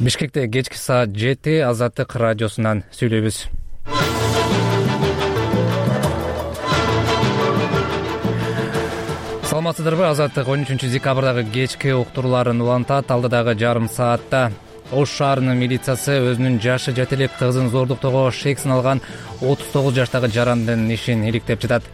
Бишкекте кечки саат 7 Азаттык радиосунан сүйлөйбүз. Саламатсыздарбы? Азаттык 13 декабрдагы кечки уктурууларын улантат. Алдыдагы жарым саатта Ош шаарынын милициясы өзүнүн жашы жете элек кызын зордуктоого шек сыналган 39 жаштагы жарандын ишин иликтеп жатат.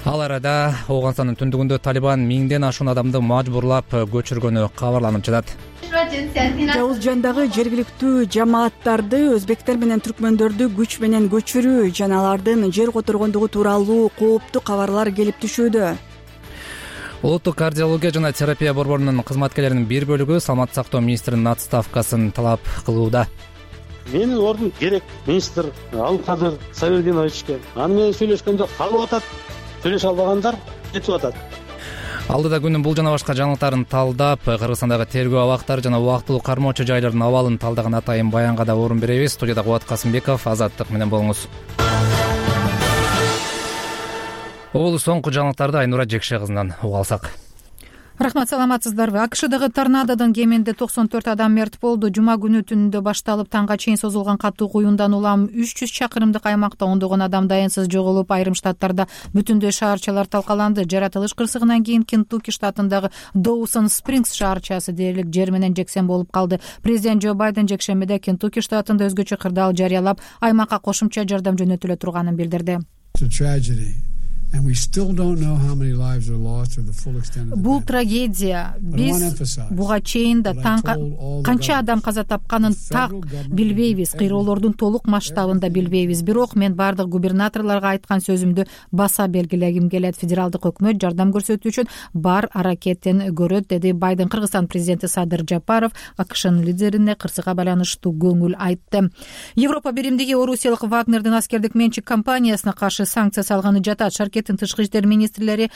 Ал арада Ооганстандын түндүгүндө Талибан 1000ден ашуун адамды мажбурлап көчүргөнү кабарланып жатат. Жауызжандагы жергиликтүү жамааттарды өзбектер менен түркмөндөрдү күч менен көчүрүү жана алардын жер которгондугу тууралуу кооптуу кабарлар келип түшүүдө. Улуттук кардиология жана терапия борборунун кызматкерлеринин бир бөлүгү саламаттык сактоо министринин отставкасын талап кылууда. Менин ордум керек министр Алкадыр Савердиновичке. Аны менен сүйлөшкөндө калып атат, сүйлөшө албагандар кетип атат. Алдыда күнүн бул жана башка жаңылыктарын талдап, Кыргызстандагы тергөө абактары жана убактылуу кармоочу жайлардын абалын талдаган атайын баянга да орун беребиз. Студияда Кубат Касымбеков, Азаттык менен болуңуз. Бул соңку жаңылыктарды Айнура Жекше кызынан уга алсак. Рахмат, саламатсыздарбы? АКШдагы торнадодон кеминде 94 адам мерт болду. Жума күнү түнүндө башталып таңга чейин созулган катуу куюндан улам 300 чакырымдык аймакта ондогон адам дайынсыз жоголуп, айрым штаттарда бүтүндөй шаарчалар талкаланды. Жаратылыш кырсыгынан кийин Кентукки штатындагы Доусон Спрингс шаарчасы дээрлик жер менен жексен болуп калды. Президент Джо Байден жекшембиде Кентукки штатында өзгөчө кырдаал жарыялап, аймакка кошумча жардам жөнөтүлө турганын билдирди. Бул трагедия. Биз буга чейин да канча адам каза тапканын так билбейбиз, кыйроолордун толук масштабын да билбейбиз. Бирок мен бардык губернаторлорго айткан сөзүмдү баса белгилегим келет. Федералдык өкмөт жардам көрсөтүү үчүн бар аракетин көрөт, деди Байден. Кыргызстан президенти Садыр Жапаров АКШнын лидерине кырсыга байланыштуу көңүл айтты. Европа биримдиги Орусиялык Вагнердин аскердик менчик компаниясына каршы санкция салганы жатат. Тышкы иштер министрлери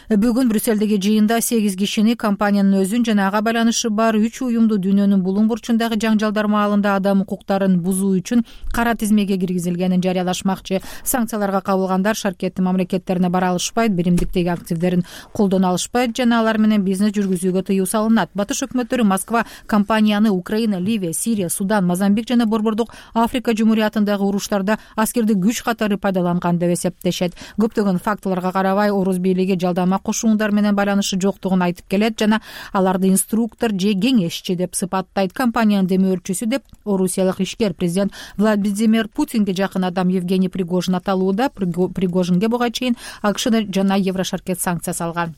бүгүн Брюссельдеги жыйында 8 кишини, компаниянын өзүн жана ага байланышы бар 3 уюмду дүйнөнүн булуң бурчундагы жаңжалдар маалында адам укуктарын бузуу үчүн кара тизмеге киргизилгенин жарыялашмакчы. Санкцияларга кабылгандар шаркеттин мамлекеттерине бара алышпайт, биримдиктеги активдерин колдоно алышпайт жана алар менен бизнес жүргүзүүгө тыюу салынат. Батыш өкмөттөрү Москва компанияны Украина, Ливия, Сирия, Судан, Мозамбик жана Борбордук Африка Жумуриятындагы уруштарда аскердик күч катары пайдаланган деп эсептешет. Көптөгөн фактыларга карабай, Орус бийлиги жалдама кошуундар менен байланышы жоктугун айтып келет жана аларды инструктор же кеңешчи деп сыпаттайт. Компаниянын демөөрчүсү деп орусиялык ишкер президент Владимир Путинге жакын адам Евгений Пригожин аталууда. Пригожинге буга чейин АКШ жана Еврошаркет санкция салган.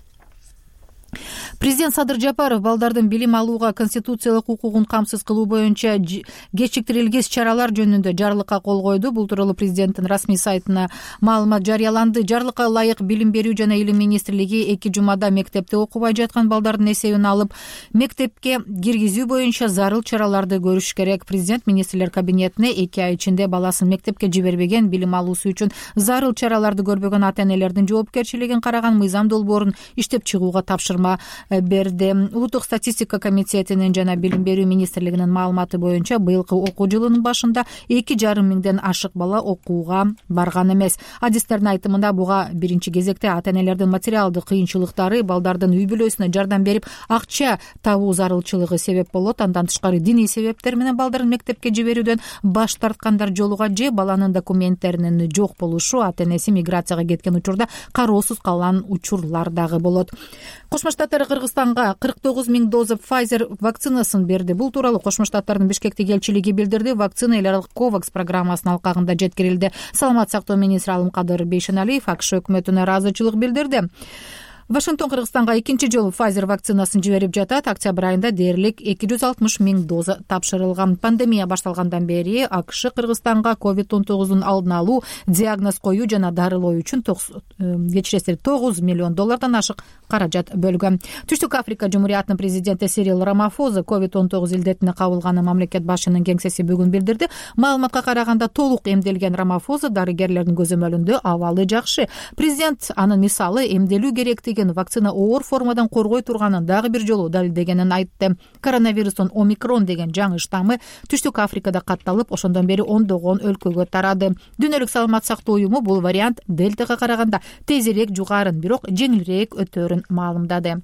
Президент Садыр Жапаров балдардын билим алууга конституциялык укугун камсыз кылуу боюнча кечиктирилгис чаралар жөнүндө жарлыкка кол койду. Бул тууралуу президенттин расмий сайтына маалымат жарыяланды. Жарлыкка ылайык билим берүү жана илим министрлиги 2 жумада мектепте окубай жаткан балдардын эсебин алып, мектепке киргизүү боюнча зарыл чараларды көрүш керек. Президент министрлер кабинетине 2 ай ичинде баласын мектепке жибербеген, билим алуусу үчүн зарыл чараларды көрбөгөн ата-энелердин жоопкерчилигин караган мыйзам долбоорун иштеп чыгууга тапшырма берди. Улуттук статистика комитетинин жана билим берүү министрлигинин маалыматы боюнча быйылкы окуу жылынын башында 2,5 миңден ашык бала окууга барган эмес. Адистердин айтымында буга биринчи кезекте ата-энелердин материалдык кыйынчылыктары, балдардын үй бүлөсүнө жардам берип акча табуу зарылчылыгы себеп болот. Андан тышкары диний себептер менен балдарын мектепке жиберүүдөн баш тарткандар жолуга же баланын документтеринин жок болушу, ата-энеси миграцияга кеткен учурда кароосуз калган учурлар дагы болот. Кошмо Штаттар Кыргызстанга 49 миң доза Pfizer вакцинасын берди. Бул тууралуу Кошмо Штаттардын Бишкектеги элчилиги билдирди. Вакцина эл аралык COVAX программасынын алкагында жеткирилди. Саламаттык сактоо министри Алымкадыр Бейшеналиев АКШ өкмөтүнө ыраазычылык билдирди. Вашингтон Кыргызстанга экинчи жолу Pfizer вакцинасын жиберип жатат. Октябрь айында дээрлик 260 миң доза тапшырылган. Пандемия башталгандан бери АКШ Кыргызстанга COVID-19 алдын алуу, диагноз коюу жана дарылоо үчүн $9 миллион ашык каражат бөлгөн. Түштүк Африка Жумуриятынын президенти Сирил Рамафоза COVID-19 илдетине кабылганын мамлекет башчынын кеңсеси бүгүн билдирди. Маалыматка караганда толук эмделген Рамафоза дарыгерлердин көзөмөлүндө абалы жакшы. Президент анын мисалы эмделүү керектиги вакцина оор формадан коргой турганын дагы бир жолу далилдегенин айтты. Коронавирустун омикрон деген жаңы штаммы Түштүк Африкада катталып, ошондон бери ондогон өлкөгө тарады. Дүйнөлүк саламаттык сактоо уюму бул вариант дельтага караганда тезирээк жугарын, бирок жеңилирээк өтөөрүн маалымдады.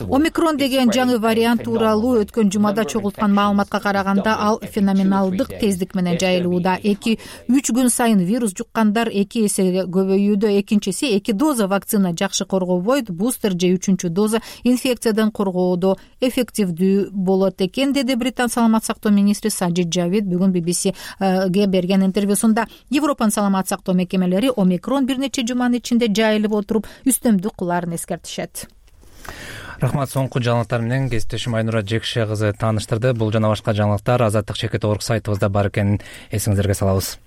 Омикрон деген жаңы вариант тууралуу өткөн жумада чогулткан маалыматка караганда ал феноменалдык тездик менен жайылууда. 2-3 күн сайын вирус жуккандар 2 эсеге көбөйүүдө. Экинчиси 2 доза вакцина жакшы коргобойт, бустер же 3-чү доза инфекциядан коргоодо эффективдүү болот экен, деди Британ саламат сактоо министри Саджид Джавид бүгүн BBC-ге берген интервьюсунда. Европанын саламат сактоо мекемелери омикрон бир нече жуманын ичинде жайылып отуруп, үстөмдүк кылаарын эскертишет. Рахмат. Соңку жаңылыктар менен кесиптешим Айнура Жекше кызы тааныштырды. Бул жана башка жаңылыктар Азаттык чекит орг сайтыбызда бар экенин эсиңиздерге салабыз.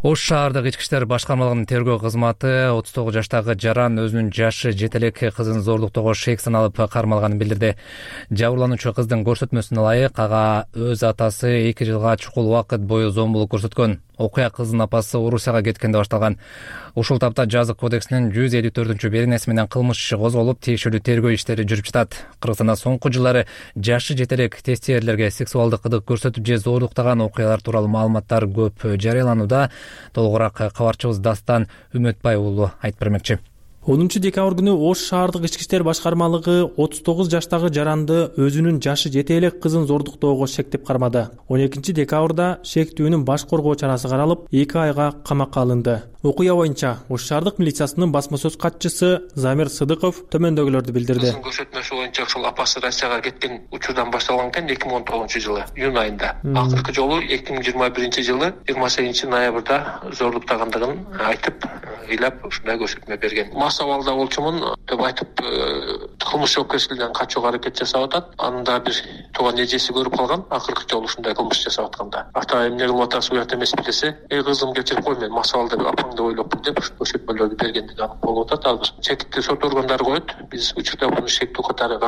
Ош шаардык ички иштер башкармалыгынын тергөө кызматы 39 жаштагы жаран өзүнүн жашы жете элек кызын зордуктоого шек саналып кармалганын билдирди. Жабырлануучу кыздын көрсөтмөсүнө ылайык ага өз атасы 2 жылга чукул убакыт бою зомбулук көрсөткөн. Окуя кыздын апасы Орусияга кеткенде башталган. Ушул тапта жазык кодексинин 154-беренеси менен кылмыш иши козголуп, тиешелүү тергөө иштери жүрүп жатат. Кыргызстанда соңку жылдары жашы жете элек тестиерлерге сексуалдык кызык көрсөтүп же зордуктаган окуялар тууралуу маалыматтар көп жарыяланууда. Толугураак кабарчыбыз Дастан Үмөтбай уулу айтып бермекчи. 10 декабрь күнү Ош шаардык ички иштер башкармалыгы 39 жаштагы жаранды өзүнүн жашы жете элек кызын зордуктоого шектеп кармады. 12 декабрда шектүүнүн баш коргоо чарасы каралып, 2 айга камакка алынды. Окуя боюнча Ош шаардык милициясынын басма сөз катчысы Замир Сыдыков төмөндөгүлөрдү билдирди. Кыздын көрсөтмөсү боюнча ушул апасы Россияга кеткен учурдан башталган экен 2019-жылы июнь айында. Акыркы жолу 2021-жылы 28-ноябрда зордуктагандыгын айтып, ыйлап ушундай көрсөтмө берген. Абалда болчумун деп айтып, кылмыш жоопкерчилигинен качууга аракет жасап атат. Анда бир тууган эжеси көрүп калган, акыркы жолу ушундай кылмыш жасап атканда. Ата эмне кылып атасыз, уят эмеспи десе, кызым кечирип кой, мен масабалда апаңды ойлопмун деп көрсөтмөлөрдү бергендиги анык болуп атат. Азыр чекитти сот органдары коет. Биз учурда буну шектүү катары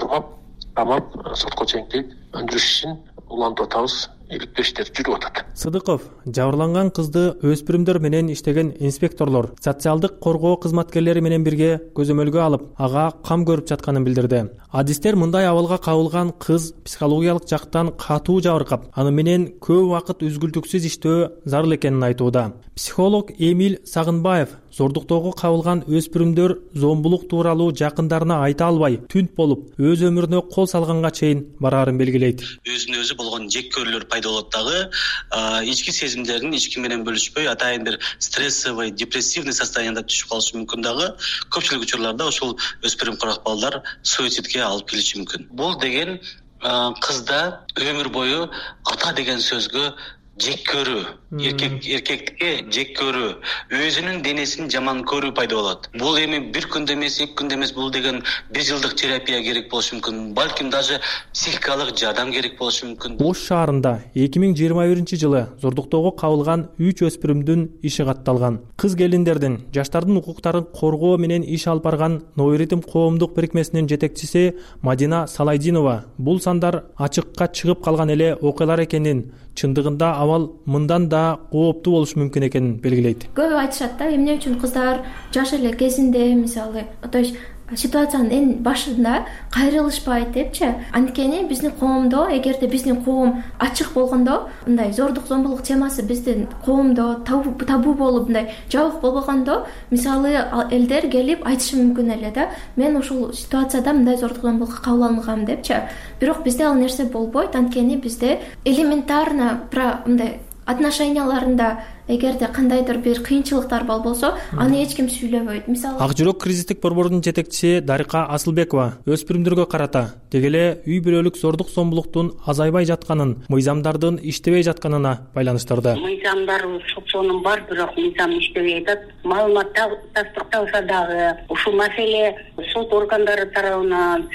камап, сотко чейинки өндүрүш ишин улантып атабыз. Иликтөө иштери жүрүп атат. Сыдыков жабырланган кызды өспүрүмдөр менен иштеген инспекторлор, социалдык коргоо кызматкерлери менен бирге көзөмөлгө алып, ага кам көрүп жатканын билдирди. Адистер мындай абалга кабылган кыз психологиялык жактан катуу жабыркап, аны менен көп убакыт үзгүлтүксүз иштөө зарыл экенин айтууда. Психолог Эмиль Сагынбаев зордуктоого кабылган өспүрүмдөр зомбулук тууралуу жакындарына айта албай, түнт болуп, өз өмүрүнө кол салганга чейин бараарын белгилейт. Өзүнө өзү болгон жек көрүүлөр пайда болот дагы, ички сезимдерин ички менен бөлүшпөй, атайын бир стрессовый, депрессивный состоянияда түшүп калышы мүмкүн дагы. Көпчүлүк учурларда ушул өспүрүм кырак балдар суицидке алып келиши мүмкүн. Бул деген кызда өмүр бою ата деген сөзгө жек көрүү, эркектикке жек көрүү, өзүнүн денесин жаман көрүү пайда болот. Бул эми бир күндө эмес, 2 күндө эмес, бул деген 1 жылдык терапия керек болушу мүмкүн. Балким даже психикалык жардам керек болушу мүмкүн. Ош шаарында 2021-жылы зордуктоого кабылган 3 өспүрүмдүн иши катталган. Кыз келиндердин, жаштардын укуктарын коргоо менен иш алып барган Нооритм коомдук бирикмесинин жетекчиси Мадина Салайдинова бул сандар ачыкка чыгып калган эле окуялар экенин, чындыгында абал мындан да кооптуу болушу мүмкүн экенин белгилейт. Көп айтышат да, эмне үчүн кыздар жаш эле кезинде, мисалы, то есть ситуациянын эң башында кайрылышпайт депчи. Анткени биздин коомдо, эгерде биздин коом ачык болгондо, мындай зордук зомбулук темасы биздин коомдо табу болуп, мындай жабык болбогондо, мисалы элдер келип айтышы мүмкүн эле да. Мен ушул ситуацияда мындай зордук зомбулукка кабыл алынгам депчи. Бирок бизде ал нерсе болбойт. Анткени бизде элементарно мындай отношенияларында эгерде кандайдыр бир кыйынчылыктар болсо, аны эч ким сүйлөбөйт. Мисалы, Ак жүрөк кризистик борборунун жетекчиси Дарика Асылбекова өспүрүмдөргө карата деги эле үй бүлөлүк зордук зомбулуктун азайбай жатканын, мыйзамдардын иштебей жатканына байланыштырды. Мыйзамдар сотсонун бар, бирок мыйзам иштебей атат. Маалымат тастыкталса дагы ушул маселе сот органдары тарабынан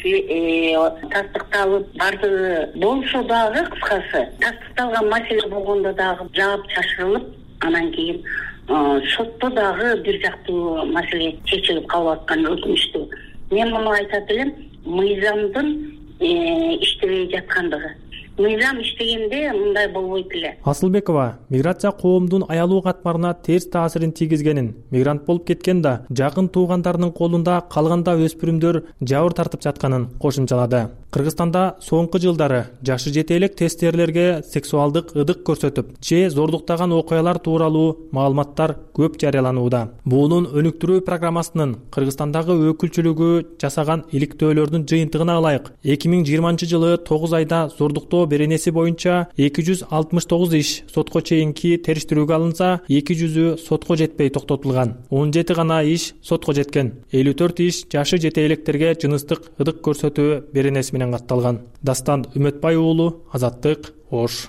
тастыкталып бардыгы болсо дагы, кыскасы тастыкталган маселе болгондо дагы жаап чашырылып, анан кийин сотто дагы бир жактуу маселе чечилип калып аткан өкүнүчтүү. Мен муну айтат элем, мыйзамдын иштебей жаткандыгы. Мыйзам иштегенде мындай болбойт эле. Асылбекова миграция коомдун аялуу катмарына терс таасирин тийгизгенин, мигрант болуп кеткен да жакын туугандарынын колунда калганда өспүрүмдөр жабыр тартып жатканын кошумчалады. Кыргызстанда соңку жылдары жашы жете элек тестерлерге сексуалдык ыдык көрсөтүп же зордуктаган окуялар тууралуу маалыматтар көп жарыяланууда. Буунун өнүктүрүү программасынын Кыргызстандагы өкүлчүлүгү жасаган иликтөөлөрдүн жыйынтыгына ылайык 2020 жылы 9 айда зордуктоо беренеси боюнча 269 иш сотко чейинки териштирүүгө алынса, 200-ü сотко жетпей токтотулган. 17 гана иш сотко жеткен. 54 иш жашы жете электерге жыныстык ыдык көрсөтүү беренеси менен катталган. Дастан Үмөтбай уулу, Азаттык, Ош.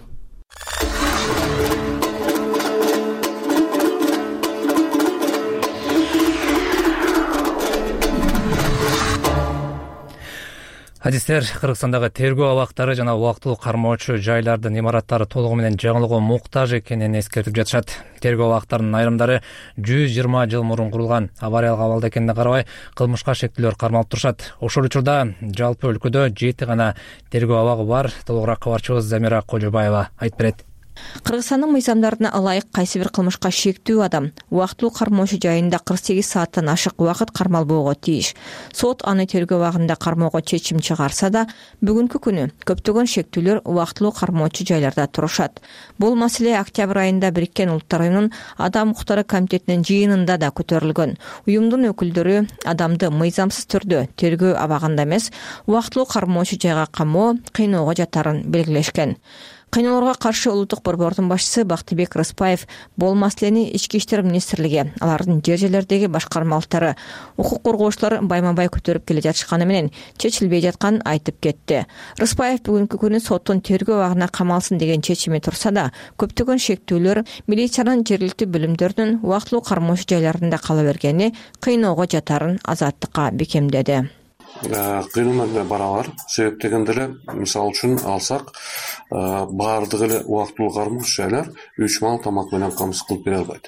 Адистер, Кыргызстандагы тергөө абактары жана убактылуу кармоочу жайлардын имараттары толугу менен жаңылууга муктаж экенин эскертип жатышат. Тергөө абактарынын айрымдары 120 жыл мурун курулган. Авариялык абалда экенине карабай, кылмышка шектүүлөр кармалып турушат. Ошол учурда жалпы өлкөдө 7 гана тергөө абагы бар. Толугураак кабарчыбыз Замира Кожобаева айтып берет. Кыргызстандын мыйзамдарына ылайык кайсы бир кылмышка шектүү адам убактылуу кармоочу жайында 48 сааттан ашык убакыт кармалбоого тийиш. Сот аны тергөө абагында кармоого чечим чыгарса да, бүгүнкү күнү көптөгөн шектүүлөр убактылуу кармоочу жайларда турушат. Бул маселе октябрь айында Бириккен Улуттар уюмунун Адам укуктары комитетинин жыйынында да көтөрүлгөн. Уюмдун өкүлдөрү адамды мыйзамсыз түрдө тергөө абагында эмес, убактылуу кармоочу жайга камоо, кыйноого жатарын белгилешкен. Кыйноолорго каршы улуттук борбордун башчысы Бактыбек Рыспаев бул маселени Ички иштер министрлиги, алардын жер-жерлердеги башкармалыктары, укук коргоочулар байма-бай көтөрүп келе жатышканы менен чечилбей жатканын айтып кетти. Рыспаев бүгүнкү күнү соттун тергөө абагына камалсын деген чечими турса да, көптөгөн шектүүлөр милициянын жергиликтүү бөлүмдөрүнүн убактылуу кармоочу жайларында кала бергени кыйноого жатарын Азаттыкка бекемдеди. Кыйноо барабар. Себеп дегенде эле, мисалы үчүн алсак, баардыгы эле убактылуу кармоочу жайлар 3 маал тамак менен камсыз кылып бере албайт.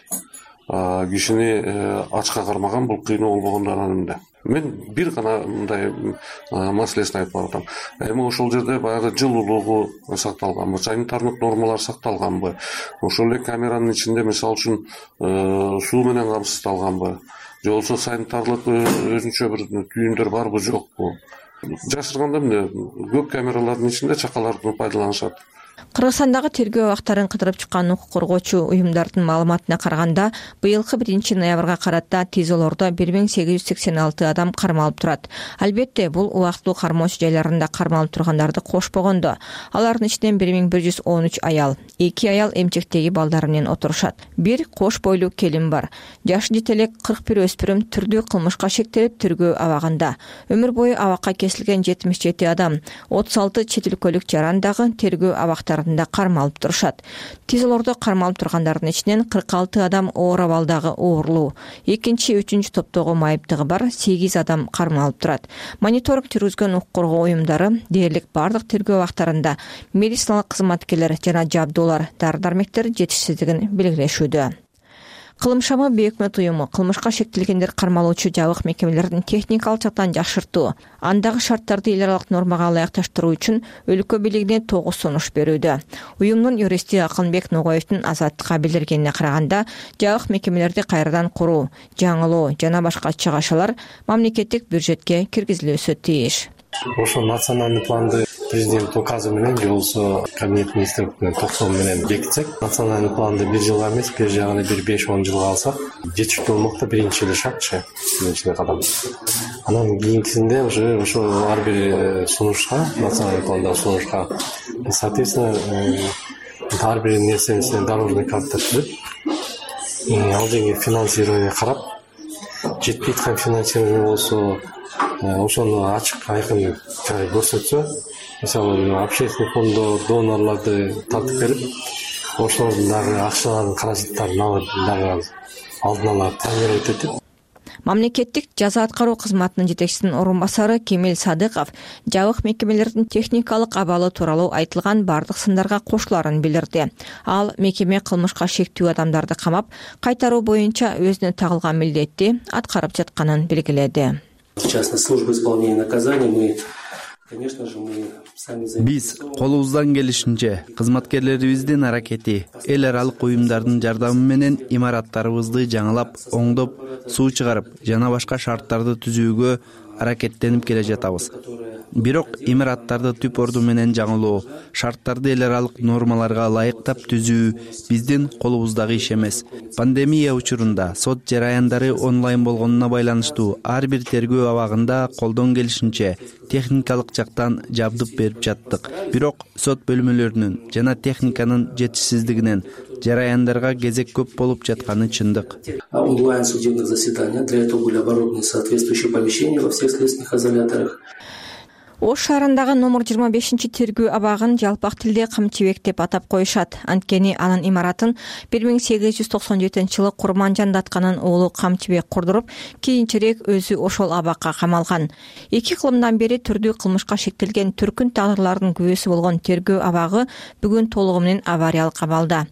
Кишини ачка кармаган бул кыйноо болбогондо анан мен бир гана мындай маселесин айтып атам. Эми ошол жерде баягы жылуулугу сакталганбы, санитардык нормалар сакталганбы, ошол эле камеранын ичинде мисалы үчүн суу менен камсыздалганбы, же болбосо санитарлык өзүнчө бир түйүндөр барбы жокпу. Жашырганда эмне көп камералардын ичинде чакалардан пайдаланышат. Кыргызстандагы тергөө абактарын кыдырып чыккан укук коргоочу уюмдардын маалыматына караганда, быйылкы 1-ноябрга карата ТИЗОлордо 1886 адам кармалып турат. Албетте, бул убактылуу кармоочу жайларында кармалып тургандарды кошпогондо, алардын ичинен 1113 аял, 2 аял эмчектеги балдары менен отурушат. Бир кош бойлуу келин бар. Жашы жете элек 41 өспүрүм түрдүү кылмышка шектелип тергөө абагында. Өмүр бою абакка кесилген 77 адам, 36 чет өлкөлүк жарандагы тергөө абактарында кармалып турушат. ТИЗОлордо кармалып тургандардын ичинен 46 адам оор абалдагы оорлуу, 2-3 топтогу майыптыгы бар 8 адам кармалып турат. Мониторинг жүргүзгөн укук коргоо уюмдары дээрлик бардык тергөө абактарында медициналык кызматкерлер жана жабдуулар, дары-дармектер жетишсиздигин белгилешүүдө. Кылымшама Бейөкмөт уюму кылмышка шектелгендер кармалуучу жабык мекемелердин техникалык жактан жакшыртуу, андагы шарттарды эл аралык нормага ылайыкташтыруу үчүн өлкө бийлигине 9 сунуш берүүдө. Уюмдун юристи Акынбек Ногоевдун Азаттыкка билдиргенине караганда, жабык мекемелерди кайрадан куруу, жаңылоо жана башка чыгашалар мамлекеттик бюджетке киргизилүүсү тийиш. Ошо национальный планды президент указы менен же болбосо кабинет министрликтин токтому менен бекитсек, национальный планды 1 жылга эмес, бир жагына 5-10 жылга алсак, жетиштүү болмок да биринчи эле шартчы, биринчи кадам. Анан кийинкисинде ошо ар бир сунушка, национальный планда сунушка, соответственно, ар бир нерсенин дорожный карта түзүп, ал жерге финансирование карап, жетпей аткан финансирование болсо ошону ачык айкын көрсөтсө, мисалы общественный фонддор, донорларды тартып берип, ошолордун дагы акчалардын каражаттарын алып дагы алдын ала планировать этип. Мамлекеттик жаза аткаруу кызматынын жетекчисинин орун басары Кемел Садыков жабык мекемелердин техникалык абалы тууралуу айтылган бардык сындарга кошуларын билдирди. Ал мекеме кылмышка шектүү адамдарды камап, кайтаруу боюнча өзүнө тагылган милдетти аткарып жатканын белгиледи. Сейчас на службу исполнения наказаний мы, конечно же, биз колубуздан келишинче кызматкерлерибиздин аракети эл аралык уюмдардын жардамы менен имараттарыбызды жаңылап, оңдоп, суу чыгарып жана башка шарттарды түзүүгө аракеттенип келе жатабыз. Бирок имараттарды түп орду менен жаңылоо, шарттарды эл аралык нормаларга ылайыктап түзүү биздин колубуздагы иш эмес. Пандемия учурунда сот жараяндары онлайн болгонуна байланыштуу ар бир тергөө абагында колдон келишинче техникалык жактан жабдып берип жаттык. Бирок сот бөлмөлөрүнүн жана техниканын жетишсиздигинен жараяндарга кезек көп болуп жатканы чындык. Онлайн судебных заседаний для этого были оборудованы соответствующие помещения во всех следственных изоляторах. Ош шаарындагы номер 25 тергөө абагын жалпак тилде Камчыбек деп атап коюшат. Анткени анын имаратын 1897-жылы Курманжан датканын уулу Камчыбек курдуруп, кийинчерээк өзү ошол абакка камалган. 2 кылымдан бери түрдүү кылмышка шектелген түркүн тагдырлардын күбөсү болгон тергөө абагы бүгүн толугу менен авариялык абалда.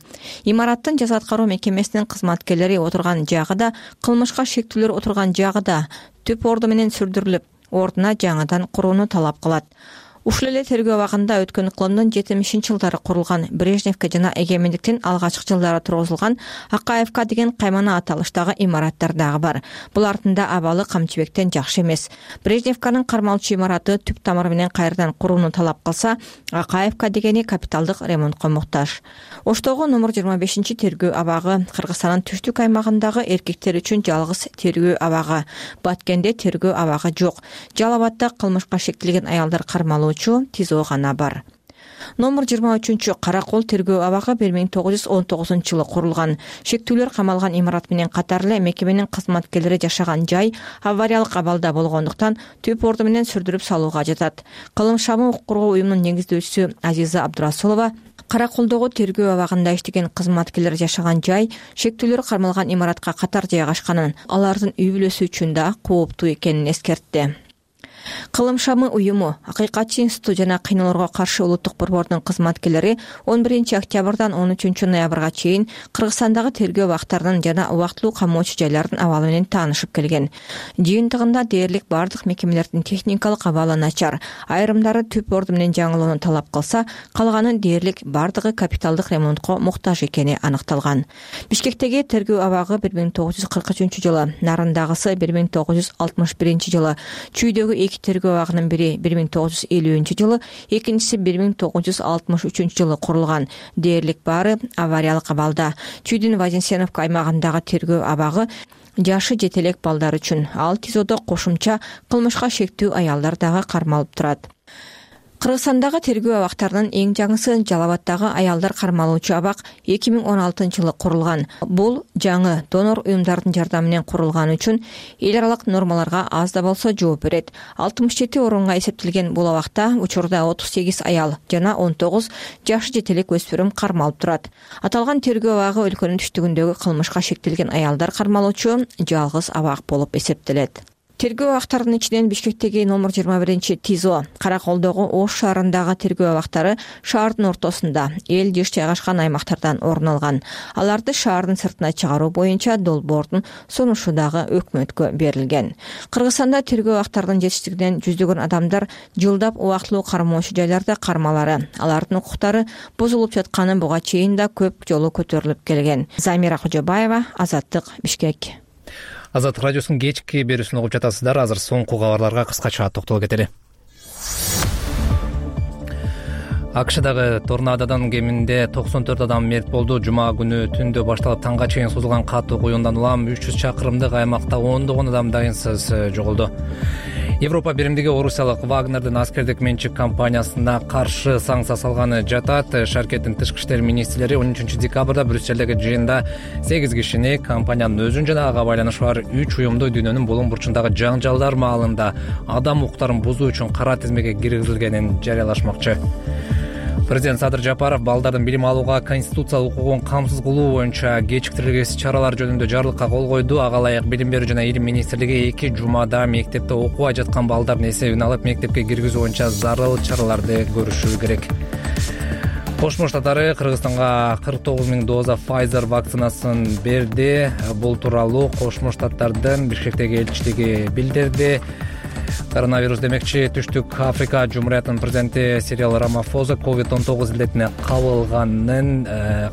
Имараттын жаза аткаруу мекемесинин кызматкерлери отурган жагы да, кылмышка шектүүлөр отурган жагы да түп орду менен сүрдүрүлүп, ордуна жаңыдан курууну талап кылат. Ушул эле тергөө абагында өткөн кылымдын 70-жылдары курулган Брежневке жана эгемендиктин алгачкы жылдары тургузулган Акаевка деген каймана аталыштагы имараттар дагы бар. Булардын да абалы Камчыбектен жакшы эмес. Брежневканын кармалчу имараты түп тамыры менен кайрадан курууну талап кылса, Акаевка дегени капиталдык ремонтко муктаж. Оштогу номер 25 тергөө абагы Кыргызстандын түштүк аймагындагы эркектер үчүн жалгыз тергөө абагы. Баткенде тергөө абагы жок. Жалал Абадда кылмышка шектелген аялдар кармалуу ТИЗО гана бар. Номер 23 Каракол тергөө абагы 1919-жылы курулган. Шектүүлөр камалган имарат менен катар эле мекеменин кызматкерлери жашаган жай авариялык абалда болгондуктан түп орду менен сүрдүрүп салууга жатат. Кылым шамы укук коргоо уюмунун негиздөөчүсү Азиза Абдурасулова Караколдогу тергөө абагында иштеген кызматкерлер жашаган жай шектүүлөр кармалган имаратка катар жайгашканын, алардын үй бүлөсү үчүн да кооптуу экенин эскертти. Кылым шамы уюму, Акыйкатчы институту жана кыйноолорго каршы улуттук борбордун кызматкерлери 11 октябрдан 13 ноябрга чейин Кыргызстандагы тергөө абактарынын жана убактылуу камоочу жайлардын абалы менен таанышып келген. Жыйынтыгында дээрлик бардык мекемелердин техникалык абалы начар, айрымдары түп орду менен жаңылоону талап кылса, калганы дээрлик бардыгы капиталдык ремонтко муктаж экени аныкталган. Бишкектеги тергөө абагы 1943-жылы, Нарындагысы 1961-жылы, Чүйдөгү тергөө абагынын бири 1950-жылы, экинчиси 1963-жылы курулган. Дээрлик баары авариялык абалда. Чүйдүн Вазенсеновка аймагындагы тергөө абагы жашы жетелек балдар үчүн. Ал ТИЗОдо кошумча кылмышка шектүү аялдар дагы кармалып турат. Кыргызстандагы тергөө абактарынын эң жаңысы Жалал Абаддагы аялдар кармалуучу абак 2016-жылы курулган. Бул жаңы донор уюмдардын жардамы менен курулганы үчүн эл аралык нормаларга аз да болсо жооп берет. 67 орунга эсептелген бул абакта учурда 38 аял жана 19 жашы жетелек өспүрүм кармалып турат. Аталган тергөө абагы өлкөнүн түштүгүндөгү кылмышка шектелген аялдар кармалуучу жалгыз абак болуп эсептелет. Тергөө абактарынын ичинен Бишкектеги номер 21 ТИЗО, Караколдогу Ош шаарындагы тергөө абактары шаардын ортосунда, эл жыш жайгашкан аймактардан орун алган. Аларды шаардын сыртына чыгаруу боюнча долбоордун сунушу дагы өкмөткө берилген. Кыргызстанда тергөө абактарынын жетиштигинен жүздөгөн адамдар жылдап убактылуу кармоочу жайларда кармалары, алардын укуктары бузулуп жатканы буга чейин да көп жолу көтөрүлүп келген. Замира Кожобаева, Азаттык, Бишкек. Азаттык радиосунун кечки берүүсүн угуп жатасыздар. Азыр соңку кабарларга кыскача токтолуп кетели. АКШдагы торнадодан кеминде 94 адам мерт болду. Жума күнү түндө башталып таңга чейин созулган катуу куюндан улам 300 чакырымдык аймакта ондогон адам дайынсыз жоголду. Европа биримдиги Орусиялык Вагнердин аскердик менчик компаниясына каршы санкция салганы жатат. Шаркеттин тышкы иштер министрлери 13 декабрда Брюссельдеги жыйында 8 кишини компаниянын өзүн жана ага байланышы бар 3 уюмду дүйнөнүн булуң бурчундагы жаңжалдар маалында адам укуктарын бузуу үчүн кара тизмеге киргизилгенин жарыялашмакчы. Президент Садыр Жапаров балдардын билим алууга конституциялык укугун камсыз кылуу боюнча кечиктирилгесиз чаралар жөнүндө жарлыкка кол койду. Ага ылайык билим берүү жана илим министрлиги 2 жумада мектепте окубай жаткан балдардын эсебин алып мектепке киргизүү боюнча зарыл чараларды көрүшү керек. Кошмо Штаттары Кыргызстанга 49 000 доза Pfizer вакцинасын берди. Бул тууралуу Кошмо Штаттардын Бишкектеги элчилиги билдирди. Коронавирус демекчи Түштүк Африка Жумуриятынын президенти Сирил Рамафоза COVID-19 илдетине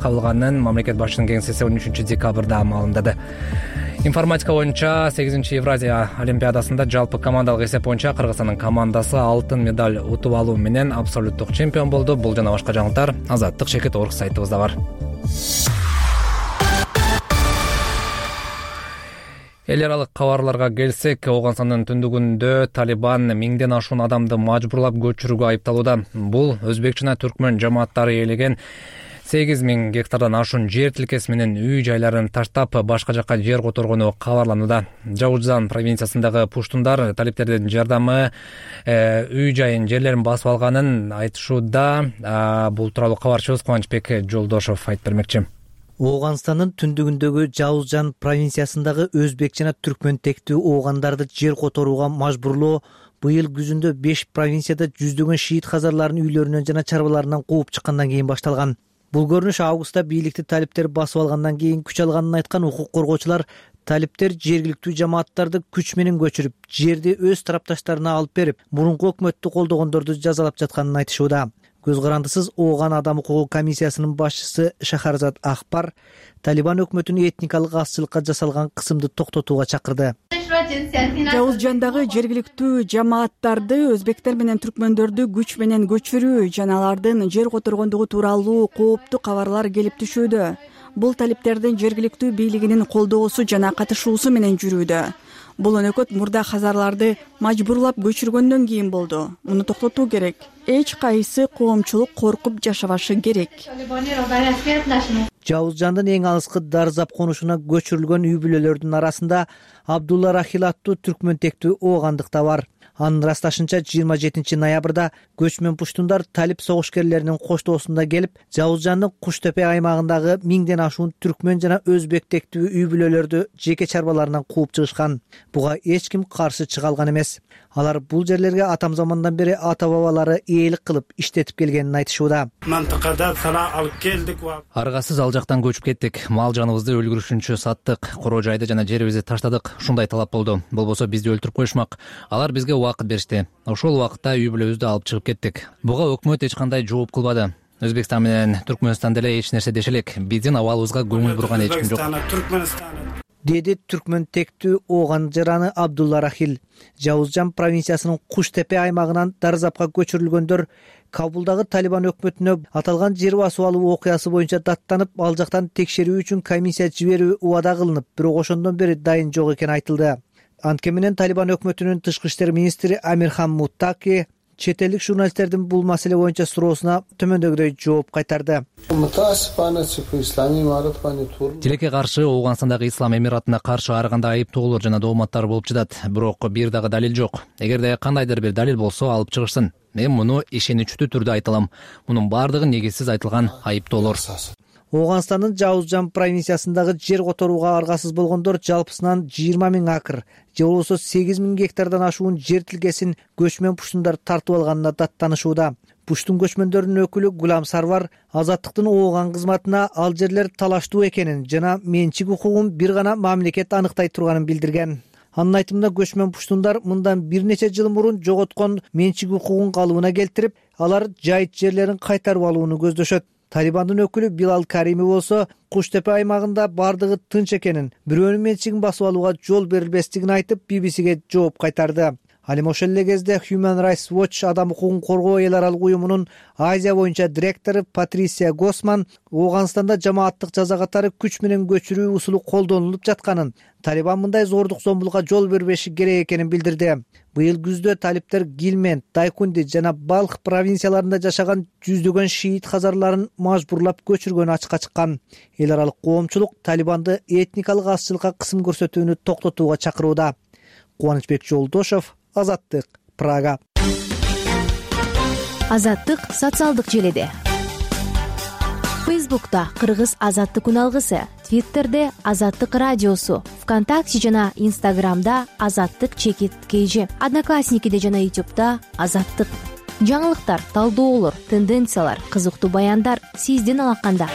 кабылганын мамлекет башчынын кеңсеси 13 декабрда маалымдады. Информатика боюнча 8-Евразия олимпиадасында жалпы командалык эсеп боюнча Кыргызстандын командасы алтын медаль утуп алуу менен абсолюттук чемпион болду. Бул жана башка жаңылыктар Азаттык Шекет Орг сайтыбызда бар. Эл аралык кабарларга келсек, Ооганстандын түндүгүндө Талибан миңден ашуун адамды мажбурлап көчүрүүгө айыпталууда. Бул өзбек жана түркмөн жамааттары ээлеген 8000 гектардан ашуун жер тилкеси менен үй жайларын таштап, башка жакка жер которгону кабарланууда. Жаужзан провинциясындагы пуштундар талиптердин жардамы үй жайын, жерлерин басып алганын айтышууда. Бул тууралуу кабарчыбыз Кубанычбек Жолдошов айтып бермекчи. Ооганстандын түндүгүндөгү Жаужжан провинциясындагы өзбек жана түркмөн тектүү оогандарды жер которууга мажбурлоо быйыл күзүндө 5 провинцияда жүздөгөн шиит казарларын үйлөрүнөн жана чарбаларынан кууп чыккандан кийин башталган. Бул көрүнүш августта бийликти талиптер басып алгандан кийин күч алганын айткан укук коргоочулар талиптер жергиликтүү жамааттарды күч менен көчүрүп, жерди өз тарапташтарына алып берип, мурунку өкмөттү колдогондорду жазалап жатканын айтышууда. Көз карандысыз Ооган адам укугу комиссиясынын башчысы Шахарзад Ахпар Талибан өкмөтүнүн этникалык азчылыкка жасалган кысымды токтотууга чакырды. Жаужжандагы жергиликтүү жамааттарды өзбектер менен түркмөндөрдү күч менен көчүрүү жана алардын жер которгондугу тууралуу кооптуу кабарлар келип түшүүдө. Бул талиптердин жергиликтүү бийлигинин колдоосу жана катышуусу менен жүрүүдө. Бул өнөкөт мурда хазарларды мажбурлап көчүргөндөн кийин болду. Муну токтотуу керек. Эч кайсы коомчулук коркуп жашабашы керек. Жаужжандын эң алыскы Дарзап конушуна көчүрүлгөн үй бүлөлөрдүн арасында Абдулла Рахил аттуу түркмөн тектүү оогандык да бар. Анын ырасташынча 27 ноябрда көчмөн пуштундар талип согушкерлеринин коштоосунда келип, Жаужжандын Куштепе аймагындагы 1000ден ашуун түркмөн жана өзбек тектүү үй бүлөлөрдү жеке чарбаларынан кууп чыгышкан. Буга эч ким каршы чыга алган эмес. Алар бул жерлерге атам замандан бери ата бабалары ээлик кылып иштетип келгенин айтышууда. Аргасыз ал жактан көчүп кеттик. Мал жаныбызды өлгүрүшүнчө саттык. Короо жайды жана жерибизди таштадык. Ушундай талап болду. Болбосо бизди өлтүрүп коюшмак. Алар бизге убакыт беришти. Ошол убакытта үй бүлөбүздү алып чыгып кеттик. Буга өкмөт эч кандай жооп кылбады. Өзбекстан менен Түркмөнстан деле эч нерсе деше элек. Биздин абалыбызга көңүл бурган эч ким жок. Деди түркмөн тектүү ооган жараны Абдулла Рахил. Жаужжан провинциясынын Куштепе аймагынан Дарзапка көчүрүлгөндөр Кабулдагы Талибан өкмөтүнө аталган жер басып алуу окуясы боюнча даттанып, ал жактан текшерүү үчүн комиссия жиберүү убада кылынып, бирок ошондон бери дайын жок экени айтылды. Анткени менен Талибан өкмөтүнүн тышкы иштер министри Амирхан Муттаки чет элдик журналисттердин бул маселе боюнча суроосуна төмөндөгүдөй жооп кайтарды. Тилекке каршы Ооганстандагы Ислам Эмиратына каршы ар кандай айыптоолор жана дооматтар болуп жатат. Бирок бир дагы далил жок. Эгерде кандайдыр бир далил болсо алып чыгышсын. Мен муну ишеничтүү түрдө айта алам. Мунун баардыгы негизсиз айтылган айыптоолор. Ооганстандын Жаужжан провинциясындагы жер которууга аргасыз болгондор жалпысынан 20 000 акр, же болбосо 8000 гектардан ашуун жер тилкесин көчмөн пуштундар тартып алганына даттанышууда. Пуштун көчмөндөрүнүн өкүлү Гулам Сарвар Азаттыктын Ооган кызматына ал жерлер талаштуу экенин жана менчик укугун бир гана мамлекет аныктай турганын билдирген. Анын айтымында көчмөн пуштундар мындан бир нече жыл мурун жоготкон менчик укугун калыбына келтирип, алар жайыт жерлерин кайтарып алууну көздөшөт. Талибандын өкүлү Билал Карими болсо Куштепе аймагында бардыгы тынч экенин, бирөөнүн менчигин басып алууга жол берилбестигин айтып, BBC-ге жооп кайтарды. Ал эми ошол эле кезде Human Rights Watch адам укугун коргоо эл аралык уюмунун Азия боюнча директору Патрисия Госман Ооганстанда жамааттык жаза катары күч менен көчүрүү усулу колдонулуп жатканын, Талибан мындай зордук зомбулукка жол бербеши керек экенин билдирди. Быйыл күздө талиптер Гилмент, Дайкунди жана Балх провинцияларында жашаган жүздөгөн шиит хазарларын мажбурлап көчүргөнү ачыкка чыккан. Эл аралык коомчулук Талибанды этникалык азчылыкка кысым көрсөтүүнү токтотууга чакырууда. Кубанычбек Жолдошов, Азаттык, Прага. Азаттык социалдык желеде. Фейсбукта Кыргыз Азаттык күн алгысы, Твиттерде Азаттык радиосу, ВКонтакте жана Инстаграмда Азаттык _KG, Одноклассникиде жана Ютубта Азаттык. Жаңылыктар, талдоолор, тенденциялар, кызыктуу баяндар сиздин алаканда.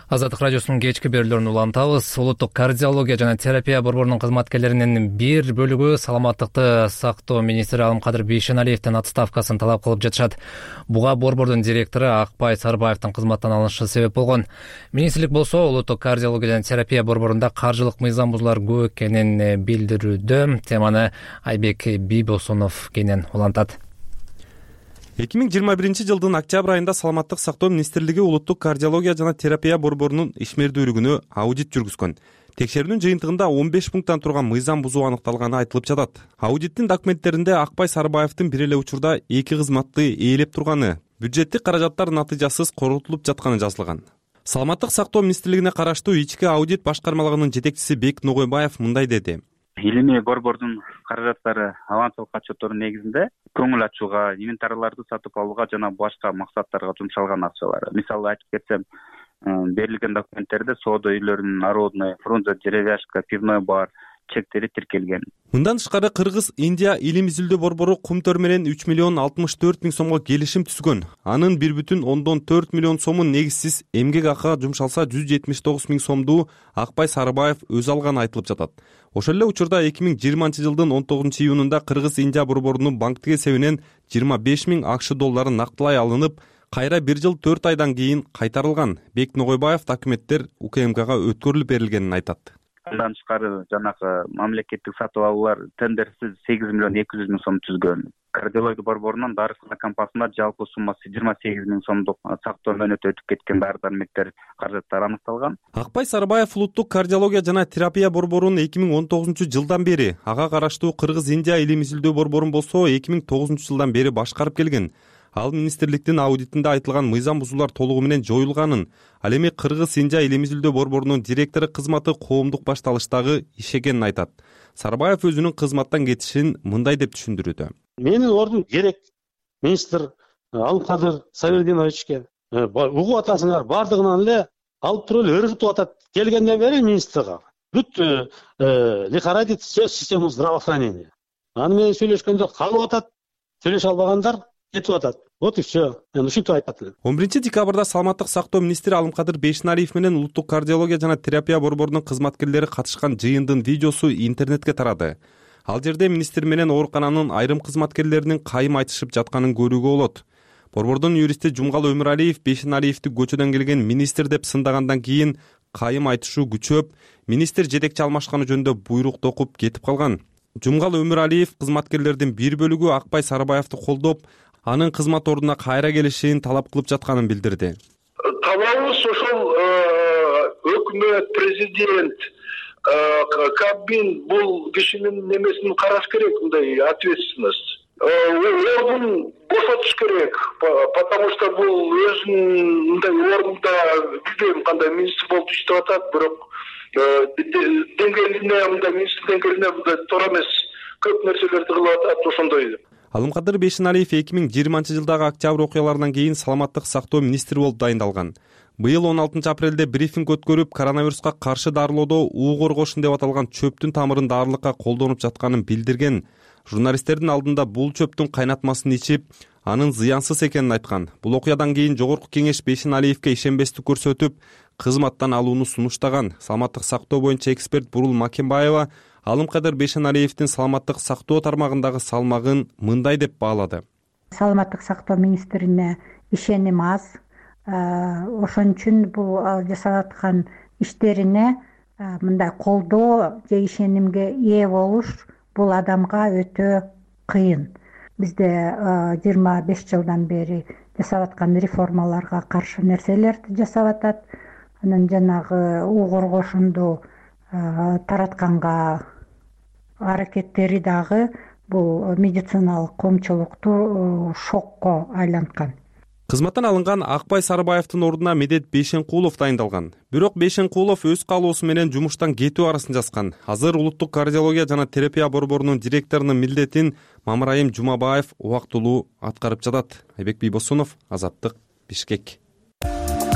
Азаттык радиосунун кечки берүүлөрүн улантабыз. Улуттук кардиология жана терапия борборунун кызматкерлеринин бир бөлүгү саламаттыкты сактоо министри Алымкадыр Бейшеналиевдин отставкасын талап кылып жатышат. Буга борбордун директору Акбай Сарыбаевдин кызматтан алынышы себеп болгон. Министрлик болсо улуттук кардиология жана терапия борборунда каржылык мыйзам бузуулар көп экенин билдирүүдө. Теманы Айбек Бийбосунов кенен улантат. 2021 жылдын октябрь айында Саламаттык сактоо министрлиги улуттук кардиология жана терапия борборунун ишмердүүлүгүнө аудит жүргүзгөн. Текшерүүнүн жыйынтыгында 15 пункттан турган мыйзам бузуу аныкталганы айтылып жатат. Аудиттин документтеринде Акбай Сарыбаевдин бир эле учурда 2 кызматты ээлеп турганы, бюджеттик каражаттар натыйжасыз коротулуп жатканы жазылган. Саламаттык сактоо министрлигине караштуу ички аудит башкармалыгынын жетекчиси Бек Ногойбаев мындай деди. Илимий борбордун каражаттары авансылык отчеттордун негизинде көңүл ачууга, инвентарларды сатып алууга жана башка максаттарга жумшалган акчалар. Мисалы айтып кетсем, берилген документтерде соода үйлөрүнүн народный, Фрунзе, деревяшка, пивной бар чектери тиркелген. Мындан тышкары Кыргыз Индия илим изилдөө борбору Кумтөр менен 3 миллион 64 миң сомго келишим түзгөн. Анын 1,4 миллион сомун негизсиз эмгек акыга жумшалса 179 миң сомду Акбай Сарыбаев өзү алганы айтылып жатат. Ошол эле учурда 2020 жылдын 19 июнунда Кыргыз Индия борборунун банктик эсебинен 25 миң АКШ доллары нактылай алынып, кайра 1 жыл 4 айдан кийин кайтарылган. Бек Ногойбаев документтер УКМКга өткөрүлүп берилгенин айтат. Андан тышкары жанагы мамлекеттик сатып алуулар тендерсиз 8 миллион 200 миң сом түзгөн. Кардиология борборунун дарыксана компаниясына жалпы суммасы 28 миң сомдук сактоо мөөнөтү өтүп кеткен дары дармектер каражаттары аныкталган. Акбай Сарыбаев улуттук кардиология жана терапия борборунун 2019 жылдан бери, ага караштуу Кыргыз Индия илим изилдөө борборун болсо 2009 жылдан бери башкарып келген. Ал министрликтин аудитинде айтылган мыйзам бузуулар толугу менен жоюлганын, ал эми Кыргыз Индия илим изилдөө борборунун директору кызматы коомдук башталыштагы иш экенин айтат. Сарыбаев өзүнүн кызматтан кетишин мындай деп түшүндүрүүдө. Менин ордум керек министр Алымкадыр Сабирдиновичке угуп атасыңар, бардыгынан эле алып туруп эле өргүтүп атат. Келгенден бери министрге бүт лихорадит систему здравоохранения. Аны менен сүйлөшкөндө калып атат, сүйлөшө албагандар кетип атат. Вот и все. Мен ушинтип айтат элем. 11 декабрда Саламаттык сактоо министри Алымкадыр Бейшеналиев менен улуттук кардиология жана терапия борборунун кызматкерлери катышкан жыйындын видеосу интернетке тарады. Ал жерде министр менен оорукананын айрым кызматкерлеринин кайым айтышып жатканын көрүүгө болот. Борбордун юристи Жумгал Өмүралиев Бейшеналиевди көчөдөн келген министр деп сындагандан кийин кайым айтышуу күчөп, министр жетекчи алмашканы жөнүндө буйрук токуп кетип калган. Жумгал Өмүралиев кызматкерлердин бир бөлүгү Акбай Сарыбаевди колдоп, анын кызмат ордуна кайра келишин талап кылып жатканын билдирди. Талабыбыз ошол өкмөт, президент, Кабмин бул кишинин немесин караш керек, мындай ответственность. Ордун бошотуш керек, потому что бул өзүнүн мындай ордунда билбейм кандай министр болуп иштеп атат, бирок деңгээлине, мындай министр деңгээлине мындай туура эмес көп нерселерди кылып атат, ошондой. Алымкадыр Бейшеналиев 2020 жылдагы октябрь окуяларынан кийин саламаттык сактоо министри болуп дайындалган. Быйыл 16 апрелде брифинг өткөрүп, коронавируска каршы дарылоодо уу коргошун деп аталган чөптүн тамырын дарылыкка колдонуп жатканын билдирген. Журналисттердин алдында бул чөптүн кайнатмасын ичип, анын зыянсыз экенин айткан. Бул окуядан кийин Жогорку кеңеш Бейшеналиевге ишенбестик көрсөтүп, кызматтан алууну сунуштаган. Саламаттык сактоо боюнча эксперт Бурул Макенбаева Алымкадыр Бейшеналиевдин саламаттык сактоо тармагындагы салмагын мындай деп баалады. Саламаттык сактоо министрине ишеним аз. Ошон үчүн бул жасап аткан иштерине мындай колдоо же ишенимге ээ болуш бул адамга өтө кыйын. Бизде 25 жылдан бери жасап аткан реформаларга каршы нерселерди жасап атат. Анан жанагы уу коргошунду таратканга аракеттери дагы бул медициналык коомчулукту шокко айланткан. Кызматтан алынган Акбай Сарыбаевдин ордуна Медет Бейшенкулов дайындалган. Бирок Бейшенкулов өз каалоосу менен жумуштан кетүү арызын жазган. Азыр улуттук кардиология жана терапия борборунун директорунун милдетин Мамырайым Жумабаев убактылуу аткарып жатат. Айбек Бийбосунов, Азаттык, Бишкек.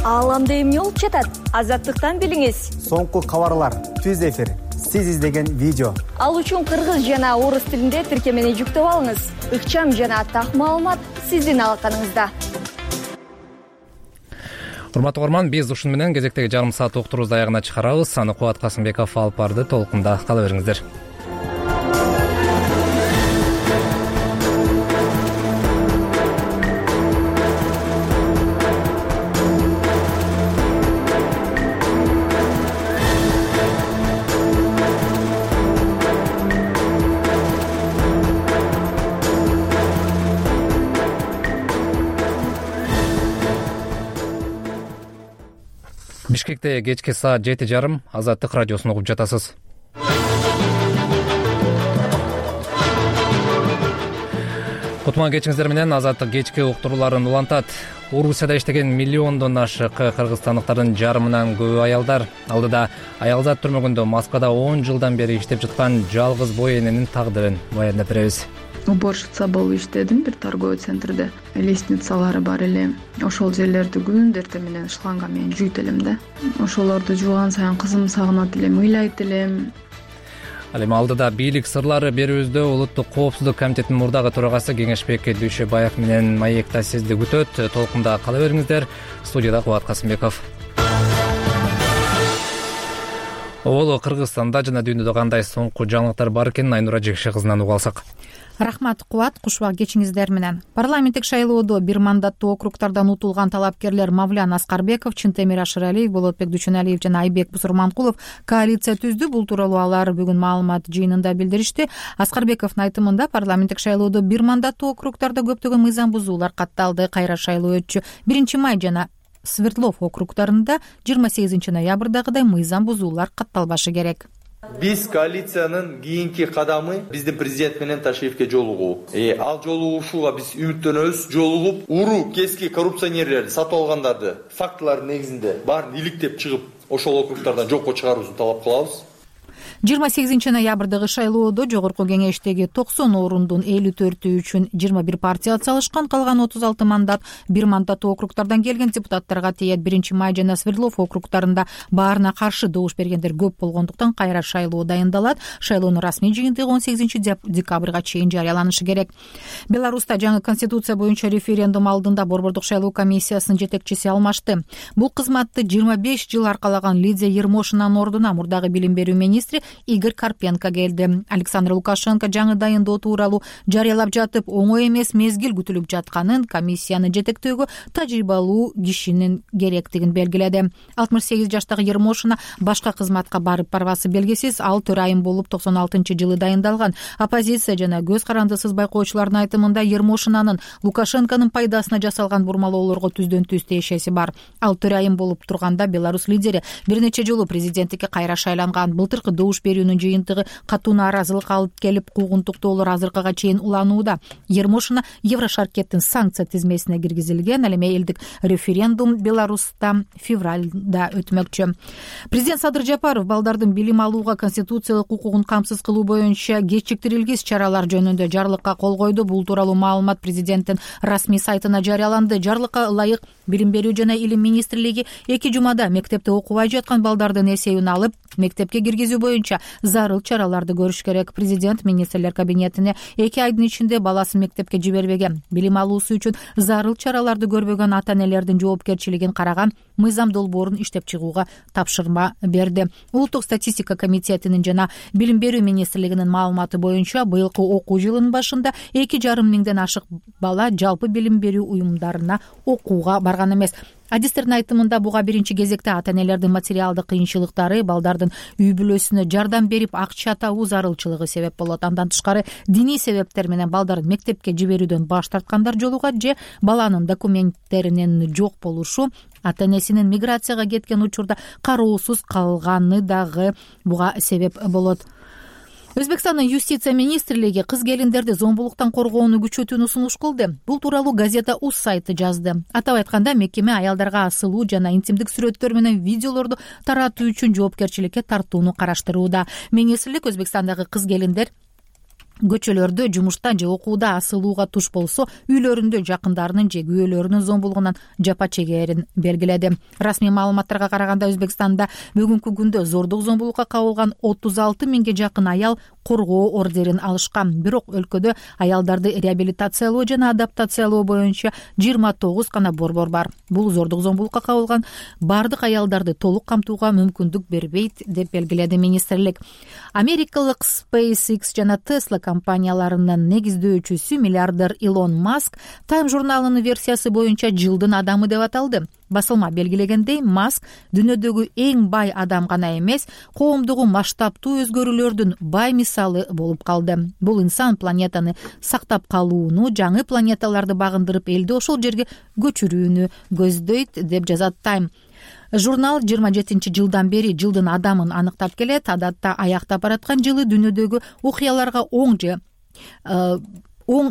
Ааламда эмне болуп жатат? Азаттыктан билиңиз. Соңку кабарлар, түз эфир, сиз издеген видео. Ал үчүн кыргыз жана орус тилинде тиркемени жүктөп алыңыз. Ыкчам жана так маалымат сиздин алаканыңызда. урматтуу угарман, биз ушуну менен кезектеги жарым саат уктурубузду аягына чыгарабыз. Аны Кубат Касымбеков алып барды. Толкунда кала бериңиздер. Бишкекте кечки саат 7:30 Азаттык радиосун угуп жатасыз. Кутман кечиңиздер менен Азаттык кечки уктурууларын улантат. Орусияда иштеген миллиондон ашык кыргызстандыктардын жарымынан көбү аялдар. Алдыда аялзат түрмөгүндө Москвада 10 жылдан бери иштеп жаткан жалгыз бой эненин тагдырын баяндап беребиз. Уборщица болуп иштедим бир торговый центрде. Лестницалары бар эле. Ошол жерлерди күндөр менен шланга менен жуйт элем да. Ошолорду жууган сайын кызым сагынат элем, ыйлайт элем. Ал эми алдыда бийлик сырлары берүүбүздө Улуттук коопсуздук комитетинин мурдагы төрагасы Кеңешбек Дүйшөбаев менен маекта сизди күтөт. Толкунда кала бериңиздер. Студияда Кубат Касымбеков. Оболо Кыргызстанда жана дүйнөдө кандай соңку жаңылыктар бар экенин Айнура Жекше кызынан угуп алсак. Рахмат Кубат, кушубак кечиңиздер менен. Парламенттик шайлоодо бир мандаттуу округдардан утулган талапкерлер Мавлян Аскарбеков, Чынтемир Ашыралиев, Болотбек Дүйшөналиев жана Айбек Бусурманкулов коалиция түздү. Бул тууралуу алар бүгүн маалымат жыйынында билдиришти. Аскарбековдун айтымында парламенттик шайлоодо бир мандаттуу округдарда көптөгөн мыйзам бузуулар катталды. Кайра шайлоо өтчү. 1-Май жана Свердлов округдарында 28 ноябрдагыдай мыйзам бузуулар катталбашы керек. Биз коалициянын кийинки кадамы биздин президент менен Ташиевке жолугуу. Ал жолугушууга биз үмүттөнөбүз. Жолугуп, уру кески коррупционерлерди, сатып алгандарды фактылардын негизинде баарын иликтеп чыгып, ошол округдардан жокко чыгарууну талап кылабыз. 28 ноябрдагы шайлоодо жогорку кеңештеги 90 орундун 54 үчүн 21 партия атсалышкан, калган 36 мандат бир мандаттуу округдардан келген депутаттарга тиет. 1-Май жана Свердлов округдарында баарына каршы добуш бергендер көп болгондуктан кайра шайлоо дайындалат. Шайлоонун расмий жыйынтыгы 18 декабрга чейин жарыяланышы керек. Беларуста жаңы конституция боюнча референдум алдында Борбордук шайлоо комиссиясынын жетекчиси алмашты. Бул кызматты 25 жыл аркалаган Лидия Ермошинанын ордуна мурдагы билим берүү министри Игорь Карпенко келди. Александр Лукашенко жаңы дайындоо тууралуу жарыялап жатып, оңой эмес мезгил күтүлүп жатканын, комиссияны жетектөөгө тажрыйбалуу кишинин керектигин белгиледи. 68 жаштагы Ермошина башка кызматка барбасы белгисиз. Ал төрайым болуп 96-жылы дайындалган. Оппозиция жана көз карандысыз байкоочулардын айтымында Ермошинанын Лукашенконун пайдасына жасалган бурмалоолорго түздөн түз тиешеси бар. Ал төрайым болуп турганда Беларусь лидери бир нече жолу президенттикке кайра шайланган. Былтыркы добуш берүүнүн жыйынтыгы катуу нааразылык алып келип, куугунтуктоолор азыркыга чейин уланууда. Ермошина Еврошаркеттин санкция тизмесине киргизилген. Ал эми элдик референдум Беларуста февралда өтмөкчү. Президент Садыр Жапаров балдардын билим алууга конституциялык укугун камсыз кылуу боюнча кечиктирилгис чаралар жөнүндө жарлыкка кол койду. Бул тууралуу маалымат президенттин расмий сайтына жарыяланды. Жарлыкка ылайык билим берүү жана илим министрлиги 2 жумада мектепте окубай жаткан балдардын эсебин алып, мектепке киргизүү боюнча зарыл чараларды көрүш керек. Президент министрлер кабинетине 2 айдын ичинде баласын мектепке жибербеген, билим алуусу үчүн зарыл чараларды көрбөгөн ата-энелердин жоопкерчилигин караган мыйзам долбоорун иштеп чыгууга тапшырма берди. Улуттук статистика комитетинин жана билим берүү министрлигинин маалыматы боюнча быйылкы окуу жылынын башында 2,5 миңден ашык бала жалпы билим берүү уюмдарына окууга барган эмес. Адистердин айтымында буга биринчи кезекте ата-энелердин материалдык кыйынчылыктары, балдардын үй бүлөсүнө жардам берип акча табуу зарылчылыгы себеп болот. Андан тышкары диний себептер менен балдарын мектепке жиберүүдөн баш тарткандар жолугат же баланын документтеринин жок болушу, ата-энесинин миграцияга кеткен учурда кароосуз калганы дагы буга себеп болот. Өзбекстандын юстиция министрлиги кыз келиндерди зомбулуктан коргоону күчөтүүнү сунуш кылды. Бул тууралуу газета УЗ сайты жазды. Атап айтканда, мекеме аялдарга асылуу жана интимдик сүрөттөр менен видеолорду таратуу үчүн жоопкерчиликке тартууну караштырууда. Министрлик Өзбекстандагы кыз келиндер көчөлөрдө, жумушта же окууда асылууга туш болсо, үйлөрүндө жакындарынын же күйөөлөрүнүн зомбулугунан жапа чегерин белгиледи. Расмий маалыматтарга караганда, Өзбекстанда бүгүнкү күндө зордук зомбулукка кабылган 36 миңге жакын аял коргоо ордерин алышкан. Бирок өлкөдө аялдарды реабилитациялоо жана адаптациялоо боюнча 29 гана борбор бар. Бул зордук зомбулукка кабылган бардык аялдарды толук камтууга мүмкүндүк бербейт деп белгиледи министрлик. Америкалык SpaceX жана Tesla компанияларынын негиздөөчүсү миллиардер Илон Маск Time журналынын версиясы боюнча жылдын адамы деп аталды. Басылма белгилегендей, Маск дүйнөдөгү эң бай адам гана эмес, коомдугу масштабтуу өзгөрүүлөрдүн бай мисалы болуп калды. Бул инсан планетаны сактап калууну, жаңы планеталарды багындырып, элди ошол жерге көчүрүүнү көздөйт деп жазат Time. Журнал 27-жылдан бери жылдын адамын аныктап келет. Адатта аяктап бараткан жылы дүйнөдөгү окуяларга оң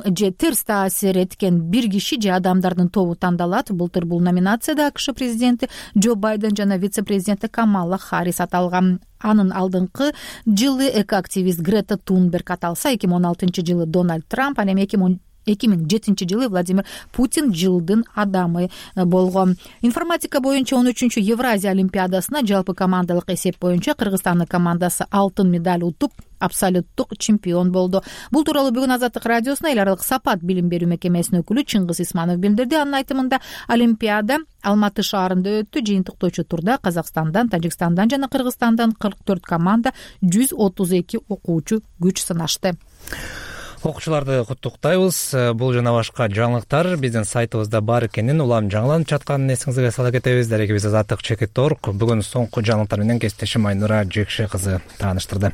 же терс таасир эткен бир киши же адамдардын тобу тандалат. Былтыр бул номинацияда АКШ президенти Джо Байден жана вице-президенти Камала Харрис аталган. Анын алдыңкы жылы экоактивист Грета Тунберг аталса, 2016-жылы Дональд Трамп, анан 2007-жылы Владимир Путин жылдын адамы болгон. Информатика боюнча 13-чү Евразия олимпиадасына жалпы командалык эсеп боюнча Кыргызстандын командасы алтын медаль утуп, абсолюттук чемпион болду. Бул тууралуу бүгүн Азаттык радиосуна эл аралык сапат билим берүү мекемесинин өкүлү Чыңгыз Исманов билдирди. Анын айтымында, олимпиада Алматы шаарында өттү. Жыйынтыктоочу турда Казакстандан, Тажикстандан жана Кыргызстандан 44 команда, 132 окуучу күч сынашты. Окуучуларды куттуктайбыз. Бул жана башка жаңылыктар биздин сайтыбызда бар экенин, улам жаңыланып жатканын эсиңизге сала кетебиз. Дарегибиз Азаттык.org. Бүгүн соңку жаңылыктар менен кесиптешим Айнура Жекше кызы тааныштырды.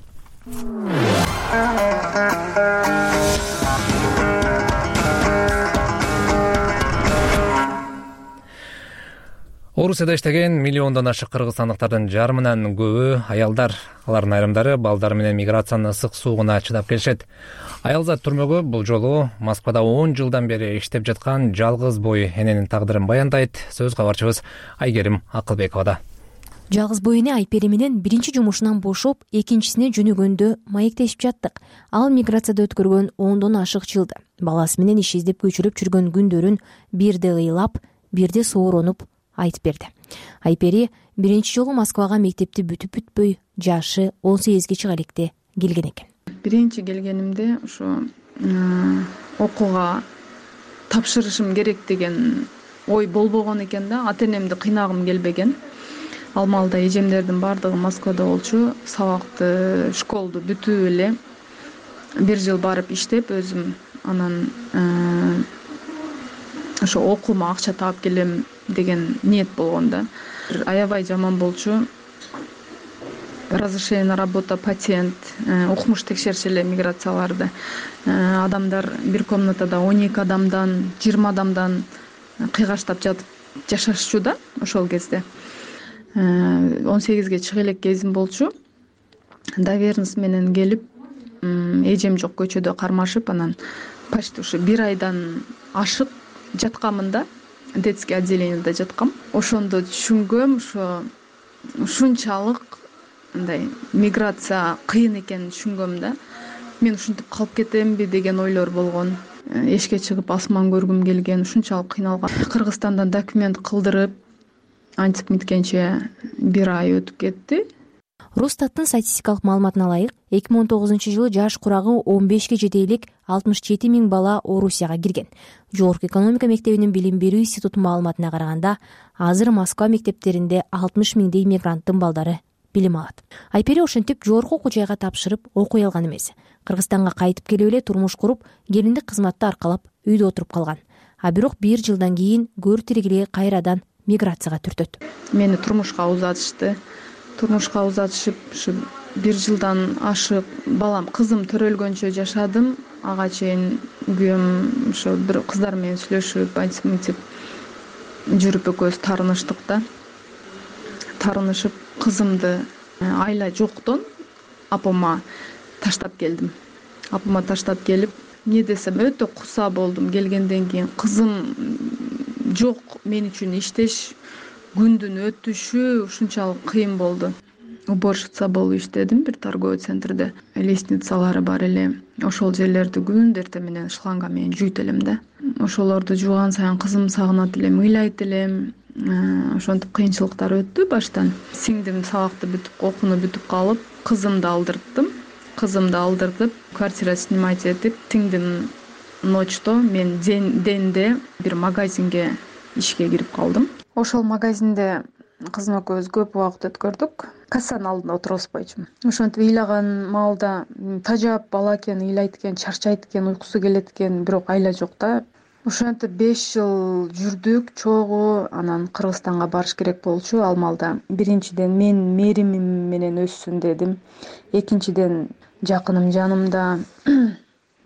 Орусияда иштеген миллиондон ашык кыргызстандыктардын жарымынан көбү аялдар. Алардын айрымдары балдар менен миграциянын ысык суугуна чыдап келишет. Аялзат түрмөгү бул жолу Москвада 10 жылдан бери иштеп жаткан жалгыз бой эненин тагдырын баяндайт. Сөз кабарчыбыз Айгерим Акылбековада. Жалгыз бой эне Айпери менен биринчи жумушунан бошоп, экинчисине жөнөгөндө маектешип жаттык. Ал миграцияда өткөргөн 10дон ашык жылды. Баласы менен иш издеп көчүрүп жүргөн күндөрүн бирде ыйлап, бирде сооронуп айтып берди. Айпери биринчи жолу Москвага мектепти бүтүп-бүтпөй, жашы 18-ге чыга электе келген экен. Биринчи келгенимде ошо окууга тапшырышым керек деген ой болбогон экен да. Ата-энемди кыйнагым келбеген. Ал маалда эжемдердин бардыгы Москвада болчу. Сабакты, школду бүтүп эле бир жыл барып иштеп өзүм, анан ошо окуума акча таап келем деген ниет болгон да. Аябай жаман болчу. Разрешение на работу, патент, укмуш текшеришет эле миграцияларды. Адамдар бир комнатада 12 адамдан, 20 адамдан кыйгаштап жатып жашашчу да ошол кезде. 18-ге чыга элек кезим болчу. Доверенность менен келип, эжем жок көчөдө кармашып, анан почти ушу 1 айдан ашык жатканмын да. Детский отделениеде жаткам. Ошондо түшүнгөм, ушунчалык мындай миграция кыйын экенин түшүнгөм да. Мен ушинтип калып кетемби деген ойлор болгон. Эшикке чыгып асман көргүм келген, ушунчалык кыйналган. Кыргызстандан документ кылдырып, антип миткенче 1 ай өтүп кетти. Росстаттын статистикалык маалыматына ылайык, 2009-жылы жаш курагы 15ге жете элек 67 000 бала Орусияга кирген. Жогорку экономика мектебинин билим берүү институтунун маалыматына караганда, азыр Москва мектептеринде 60 000 мигранттын балдары билим алат. Айпери ошентип жогорку окуу жайга тапшырып окуй алган эмес. Кыргызстанга кайтып келип эле турмуш куруп, келиндик кызматты аркалап үйдө отуруп калган. А бирок 1 жылдан кийин көр тиригиле кайрадан миграцияга түртөт. Мени турмушка узатышты. Турмушка узатышып, ушу 1 жылдан ашык балам, кызым төрөлгөнчө жашадым. Ага чейин күйөөм ошо бир кыздар менен сүйлөшүп, айтып жүрүп экөөбүз таарыныштык да. Таарынышып, кызымды айла жоктон апама таштап келдим. Апама таштап келип, эмне десем, өтө куса болдум. Келгенден кийин кызым жок, мен үчүн иштеш, күндүн өтүшү ушунчалык кыйын болду. Уборщица болуп иштедим бир торговый центрде. Лестницалары бар эле. Ошол жерлерди күндү эртең менен шланга менен жуйт элем да. Ошолорду жууган сайын кызым сагынат элем, ыйлайт элем. Ошентип кыйынчылыктар өттү баштан. Сиңдим сабакты бүтүп, окууну бүтүп калып, кызымды алдырттым. кызымды алдыртып квартира снимать этип, сиңдим ночто мен денде бир магазинге ишке кирип калдым. Ошол магазинде кызым экөөбүз көп убакыт өткөрдүк. Кассанын алдында отурбайчумун. Ошентип ыйлаган маалда тажап бала экен, ыйлайт экен, чарчайт экен, уйкусу келет экен, бирок айла жок да. Ошентип 5 жыл жүрдүк чогуу. Анан Кыргызстанга барыш керек болчу. Ал маалда биринчиден мен мэримим менен өссүн дедим. Экинчиден жакыным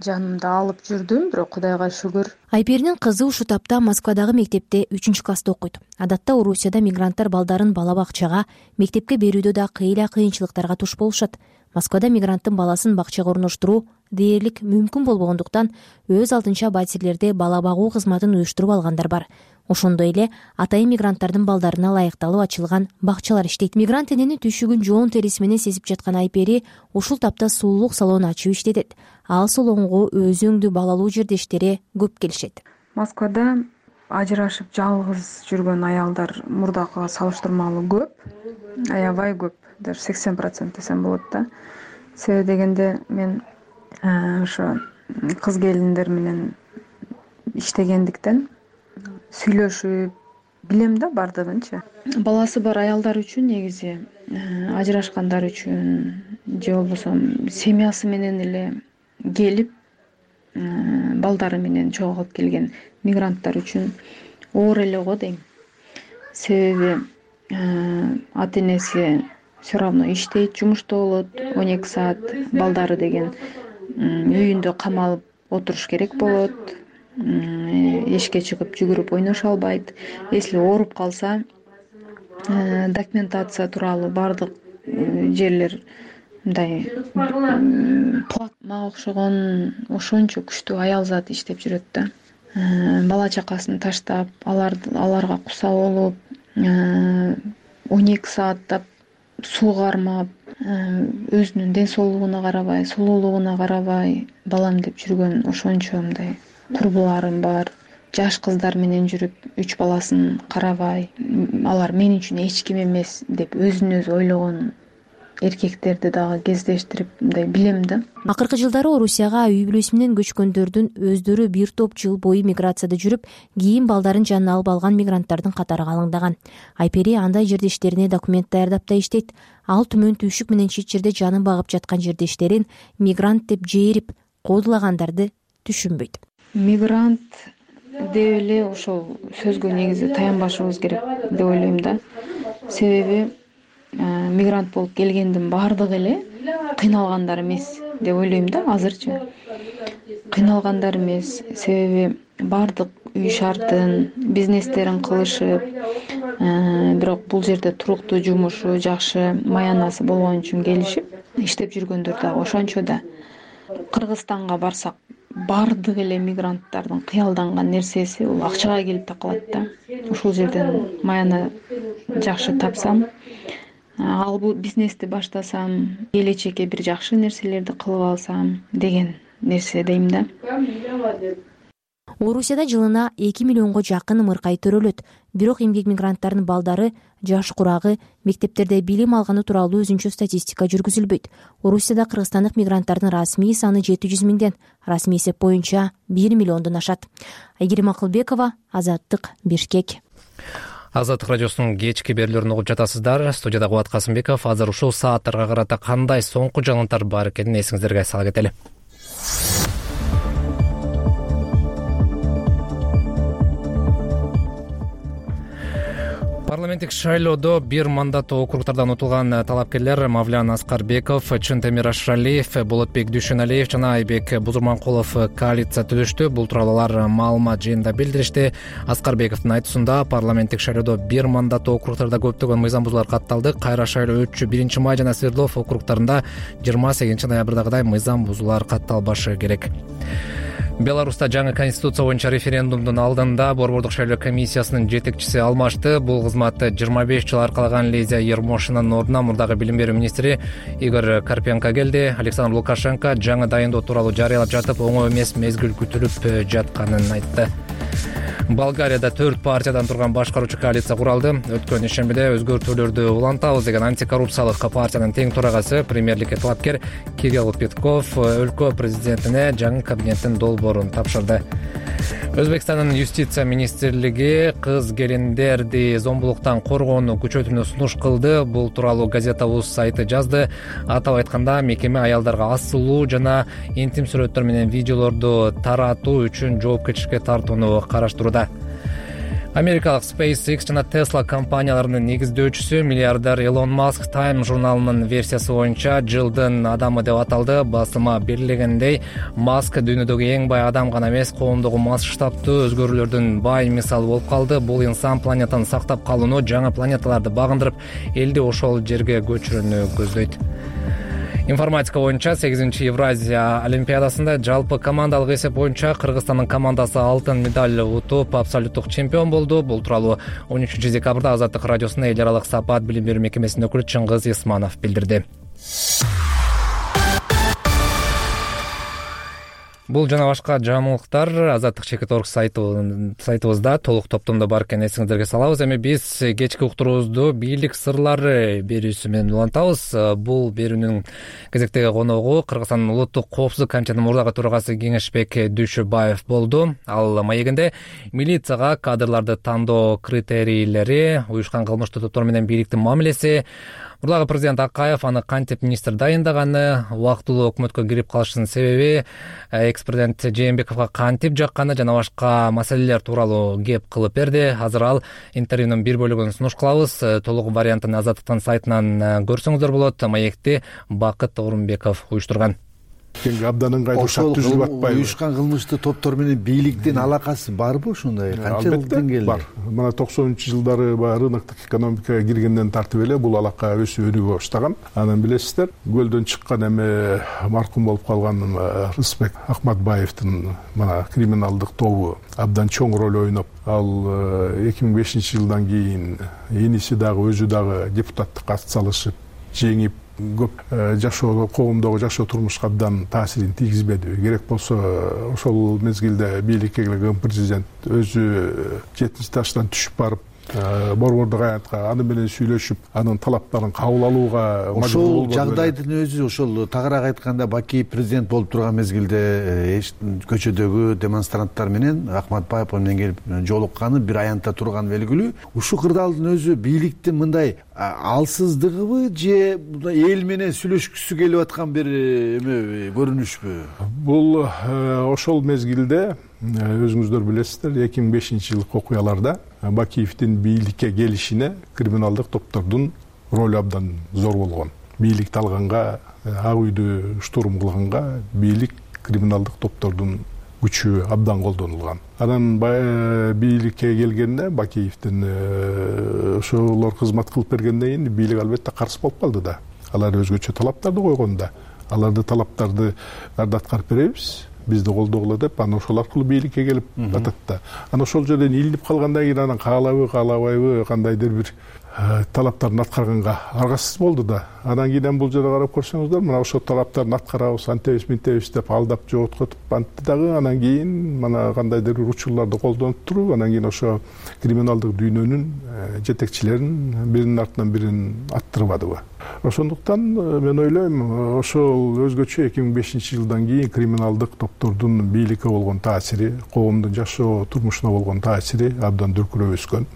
жанымда алып жүрдүм, бирок Кудайга шүгүр. Айперинин кызы ушул тапта Москвадагы мектепте 3-класста окуйт. Адатта Орусияда мигранттар балдарын бала бакчага, мектепке берүүдө да кыйынчылыктарга туш болушат. Москвада мигранттын баласын бакчага орноштуруу дээрлик мүмкүн болбогондуктан өз алдынча батирлерде бала багуу кызматын уюштуруп алгандар бар. Ошондой эле атайын мигранттардын балдарына ылайыкталып ачылган бакчалар иштейт. Мигрант эненин түйшүгүн жоон териси менен сезип жаткан Айпери ушул тапта сулуулук салон ачып иштетет. Ал салонго өзүңдүү балалуу жердештери көп келишет. Москвада ажырашып жалгыз жүргөн аялдар мурдакыга салыштырмалуу көп, аябай көп, даже 80% десем болот да. Себеби дегенде мен ошо кыз келиндер менен иштегендиктен сүйлөшүп билем да бардыгынчы. Баласы бар аялдар үчүн негизи ажырашкандар үчүн же болбосо семьясы менен эле келип балдары менен чогуу алып келген мигранттар үчүн оор эле го дейм. Себеби ата энеси все равно иштейт, жумушта болот, 12 саат балдары деген үйүндө камалып отуруш керек болот. Эшикке чыгып жүгүрүп ойношо албайт. Если ооруп калса, документация тууралуу бардык жерлер мындай мага окшогон ошончо күчтүү аял зат иштеп жүрөт да. Бала чакасын таштап, аларга куса болуп, 12 сааттап суу кармап, өзүнүн ден соолугуна карабай, сулуулугуна карабай балам деп жүргөн ошончо мындай курбуларым бар. Жаш кыздар менен жүрүп, 3 баласын карабай, алар мен үчүн эч ким эмес деп өзүн өзү ойлогон эркектерди дагы кездештирип мындай билем да. Акыркы жылдары Орусияга үй бүлөсү менен көчкөндөрдүн өздөрү бир топ жыл бою миграцияда жүрүп, кийин балдарын жанына алып алган мигранттардын катары калыңдаган. Айпери андай жердештерине документ даярдап да иштейт. Ал түмөн түйшүк менен чет жерде жанын багып жаткан жердештерин мигрант деп жээрип, кодулагандарды түшүнбөйт. Мигрант деп эле ошол сөзгө негизи таянбашыбыз керек деп ойлойм да. Себеби мигрант болуп келгендин баардыгы эле кыйналгандар эмес деп ойлойм да азырчы. Кыйналгандар эмес, себеби баардык үй шартын, бизнестерин кылышып, бирок бул жерде туруктуу жумушу, жакшы маянасы болгон үчүн келишип иштеп жүргөндөр дагы ошончо да. Кыргызстанга барсак баардык эле мигранттардын кыялданган нерсеси бул акчага келип такалат да. Ушул жерден маяны жакшы тапсам, ал бул бизнести баштасам, келечекке бир жакшы нерселерди кылып алсам деген нерсе дейм да. Орусияда жылына 2 миллионго жакын ымыркай төрөлөт. Бирок эмгек мигранттарынын балдары, жаш курагы, мектептерде билим алганы тууралуу өзүнчө статистика жүргүзүлбөйт. Орусияда кыргызстандык мигранттардын расмий саны 700 миңден, расмий эсеп боюнча 1 миллиондон ашат. Айгерим Акылбекова, Азаттык, Бишкек. Азаттык радиосунун кечки берүүлөрүн угуп жатасыздар. Студияда Кубат Касымбеков. Азыр ушул сааттарга карата кандай соңку жаңылыктар бар экенин эсиңиздерге сала кетели. Парламенттик шайлоодо бир мандаттуу округдардан утулган талапкерлер Мавлян Аскарбеков, Чынтемир Ашралиев, Болотбек Дүйшөналиев жана Айбек Бузурманкулов коалиция түзүштү. Бул тууралуу алар маалымат жыйынында билдиришти. Аскарбековдун айтуусунда парламенттик шайлоодо бир мандаттуу округдарда көптөгөн мыйзам бузуулар катталды. Кайра шайлоо өтчү 1-Май жана Свердлов округдарында 28 ноябрдагыдай мыйзам бузуулар катталбашы керек. Беларуста жаңы конституция боюнча референдумдун алдында борбордук шайлоо комиссиясынын жетекчиси алмашты. Бул кызмат 25 жыл аркалаган Лизия Ермошинанын ордуна мурдагы билим берүү министри Игорь Карпенко келди. Александр Лукашенко жаңы дайындоо тууралуу жарыялап жатып, оңой эмес мезгил күтүлүп жатканын айтты. Болгарияда 4 партиядан турган башкаруучу коалиция куралды. Өткөн ишембиде өзгөртүүлөрдү улантабыз деген антикоррупциялык партиянын тең төрагасы, премьерликке талапкер Кирилл Петков өлкө президентине жаңы кабинеттин долбоорун тапшырды. Өзбекстандын юстиция министрлиги кыз келиндерди зомбулуктан коргоону күчөтүүнү сунуш кылды. Бул тууралуу Газета.uz сайты жазды. Атап айтканда, мекеме аялдарга асылуу жана интим сүрөттөр менен видеолорду таратуу үчүн жоопкерчиликке тартууну караштырууда. Америкалык SpaceX жана Tesla компанияларынын негиздөөчүсү миллиардер Элон Маск Time журналынын версиясы боюнча жылдын адамы деп аталды. Басыма белгилегендей, Маск дүйнөдөгү эң бай адам гана эмес, коомдогу масштабтуу өзгөрүүлөрдүн бай мисалы болуп калды. Бул инсан планетаны сактап калууну, жаңы планеталарды багындырып, элди ошол жерге көчүрүүнү көздөйт. Информатика боюнча 8-чи Евразия олимпиадасында жалпы командалык эсеп боюнча Кыргызстандын командасы алтын медаль утуп, абсолюттук чемпион болду. Бул тууралуу 13 декабрда Азаттык радиосуна эл аралык сапаат билим берүү мекемесинин өкүлү Чыңгыз Исманов билдирди. Бул жана башка жаңылыктар Азаттык чекит.org сайтыбызда толук топтомдо бар экен, эсиңиздерге салабыз. Эми биз кечки уктуруубузду бийлик сырлары берүүсү менен улантабыз. Бул берүүнүн кезектеги коногу Кыргызстандын улуттук коопсуздук комитетинин мурдагы төрагасы Кеңешбек Дүйшөбаев болду. Ал маегинде милицияга кадрларды тандоо критерийлери, уюшкан кылмыштуу топтор менен бийликтин мамилеси, мурдагы президент Акаев аны кантип министр дайындаганы, убактылуу өкмөткө кирип калышынын себеби, экс-президент Жээнбековго кантип жакканы жана башка маселелер тууралуу кеп кылып берди. Азыр ал интервьюнун бир бөлүгүн сунуш кылабыз. Толук вариантын Азаттыктын сайтынан көрсөңүздөр болот. Маекти Бакыт Орунбеков уюштурган. Абдан ыңгайлуу шарт түзүлүп атпайбы? Уюшкан кылмыштуу топтор менен бийликтин алакасы барбы ушундай? Канчалык деңгээлде? Бар. Мына 90-жылдары рыноктук экономикага киргенден тартып эле бул алака өсүп өнүгө баштаган. Анан билесиздер, көлдөн чыккан эме маркум болуп калган Рысбек Акматбаевдин мына криминалдык тобу абдан чоң роль ойноп, ал 2005-жылдан кийин иниси дагы өзү дагы депутаттыкка ат салышып, жеңип, көп жашоо, коомдогу жашоо турмушка абдан таасирин тийгизбеди. Керек болсо ошол мезгилде бийликке келген президент өзү 70 жаштан түшүп барып, борбордук аянтка аны менен сүйлөшүп, анын талаптарын кабыл алууга мажбур болду. Ошол жагдайдын өзү, ошол тагыраак айтканда, Бакиев президент болуп турган мезгилде көчөдөгү демонстранттар менен Акматбаев менен келип жолукканы бир аянтта турган белгилүү. Ушул кырдаалдын өзү бийликтин мындай алсыздыгыбы же эл менен сүйлөшкүсү келип аткан бир эме көрүнүшпү? Бул ошол мезгилде өзүңүздөр билесиздер, 2005-жылкы окуяларда Бакиевдин бийликке келишине криминалдык топтордун ролу абдан зор болгон. Бийликти алганга, ак үйдү штурм кылганга бийлик криминалдык топтордун күчү абдан колдонулган. Анан бийликке келгенде Бакиевдин ошолор кызмат кылып бергенден кийин бийлик албетте каршы болуп калды да. Алар өзгөчө талаптарды койгонда, аларды талаптарды аткарып беребиз, бизди колдогула деп, анан ошол аркылуу бийликке келип атат да. Анан ошол жерден илинип калгандан кийин анан каалабы, каалабайбы, кандайдыр бир талаптарын аткарганга аргасыз болду да. Анан кийин бул жерде карап көрсөңүздөр, мына ошол талаптарын аткарабыз, антебиз, минтебиз деп алдап жооткотуп антты дагы. Анан кийин мына кандайдыр бир учурларды колдонуп туруп, анан кийин ошо криминалдык дүйнөнүн жетекчилерин биринин артынан бирин аттырбадыбы. Ошондуктан мен ойлойм, ошол өзгөчө 2005-жылдан кийин криминалдык топтордун бийликке болгон таасири, коомдун жашоо турмушуна болгон таасири абдан дүркүрөп өскөн.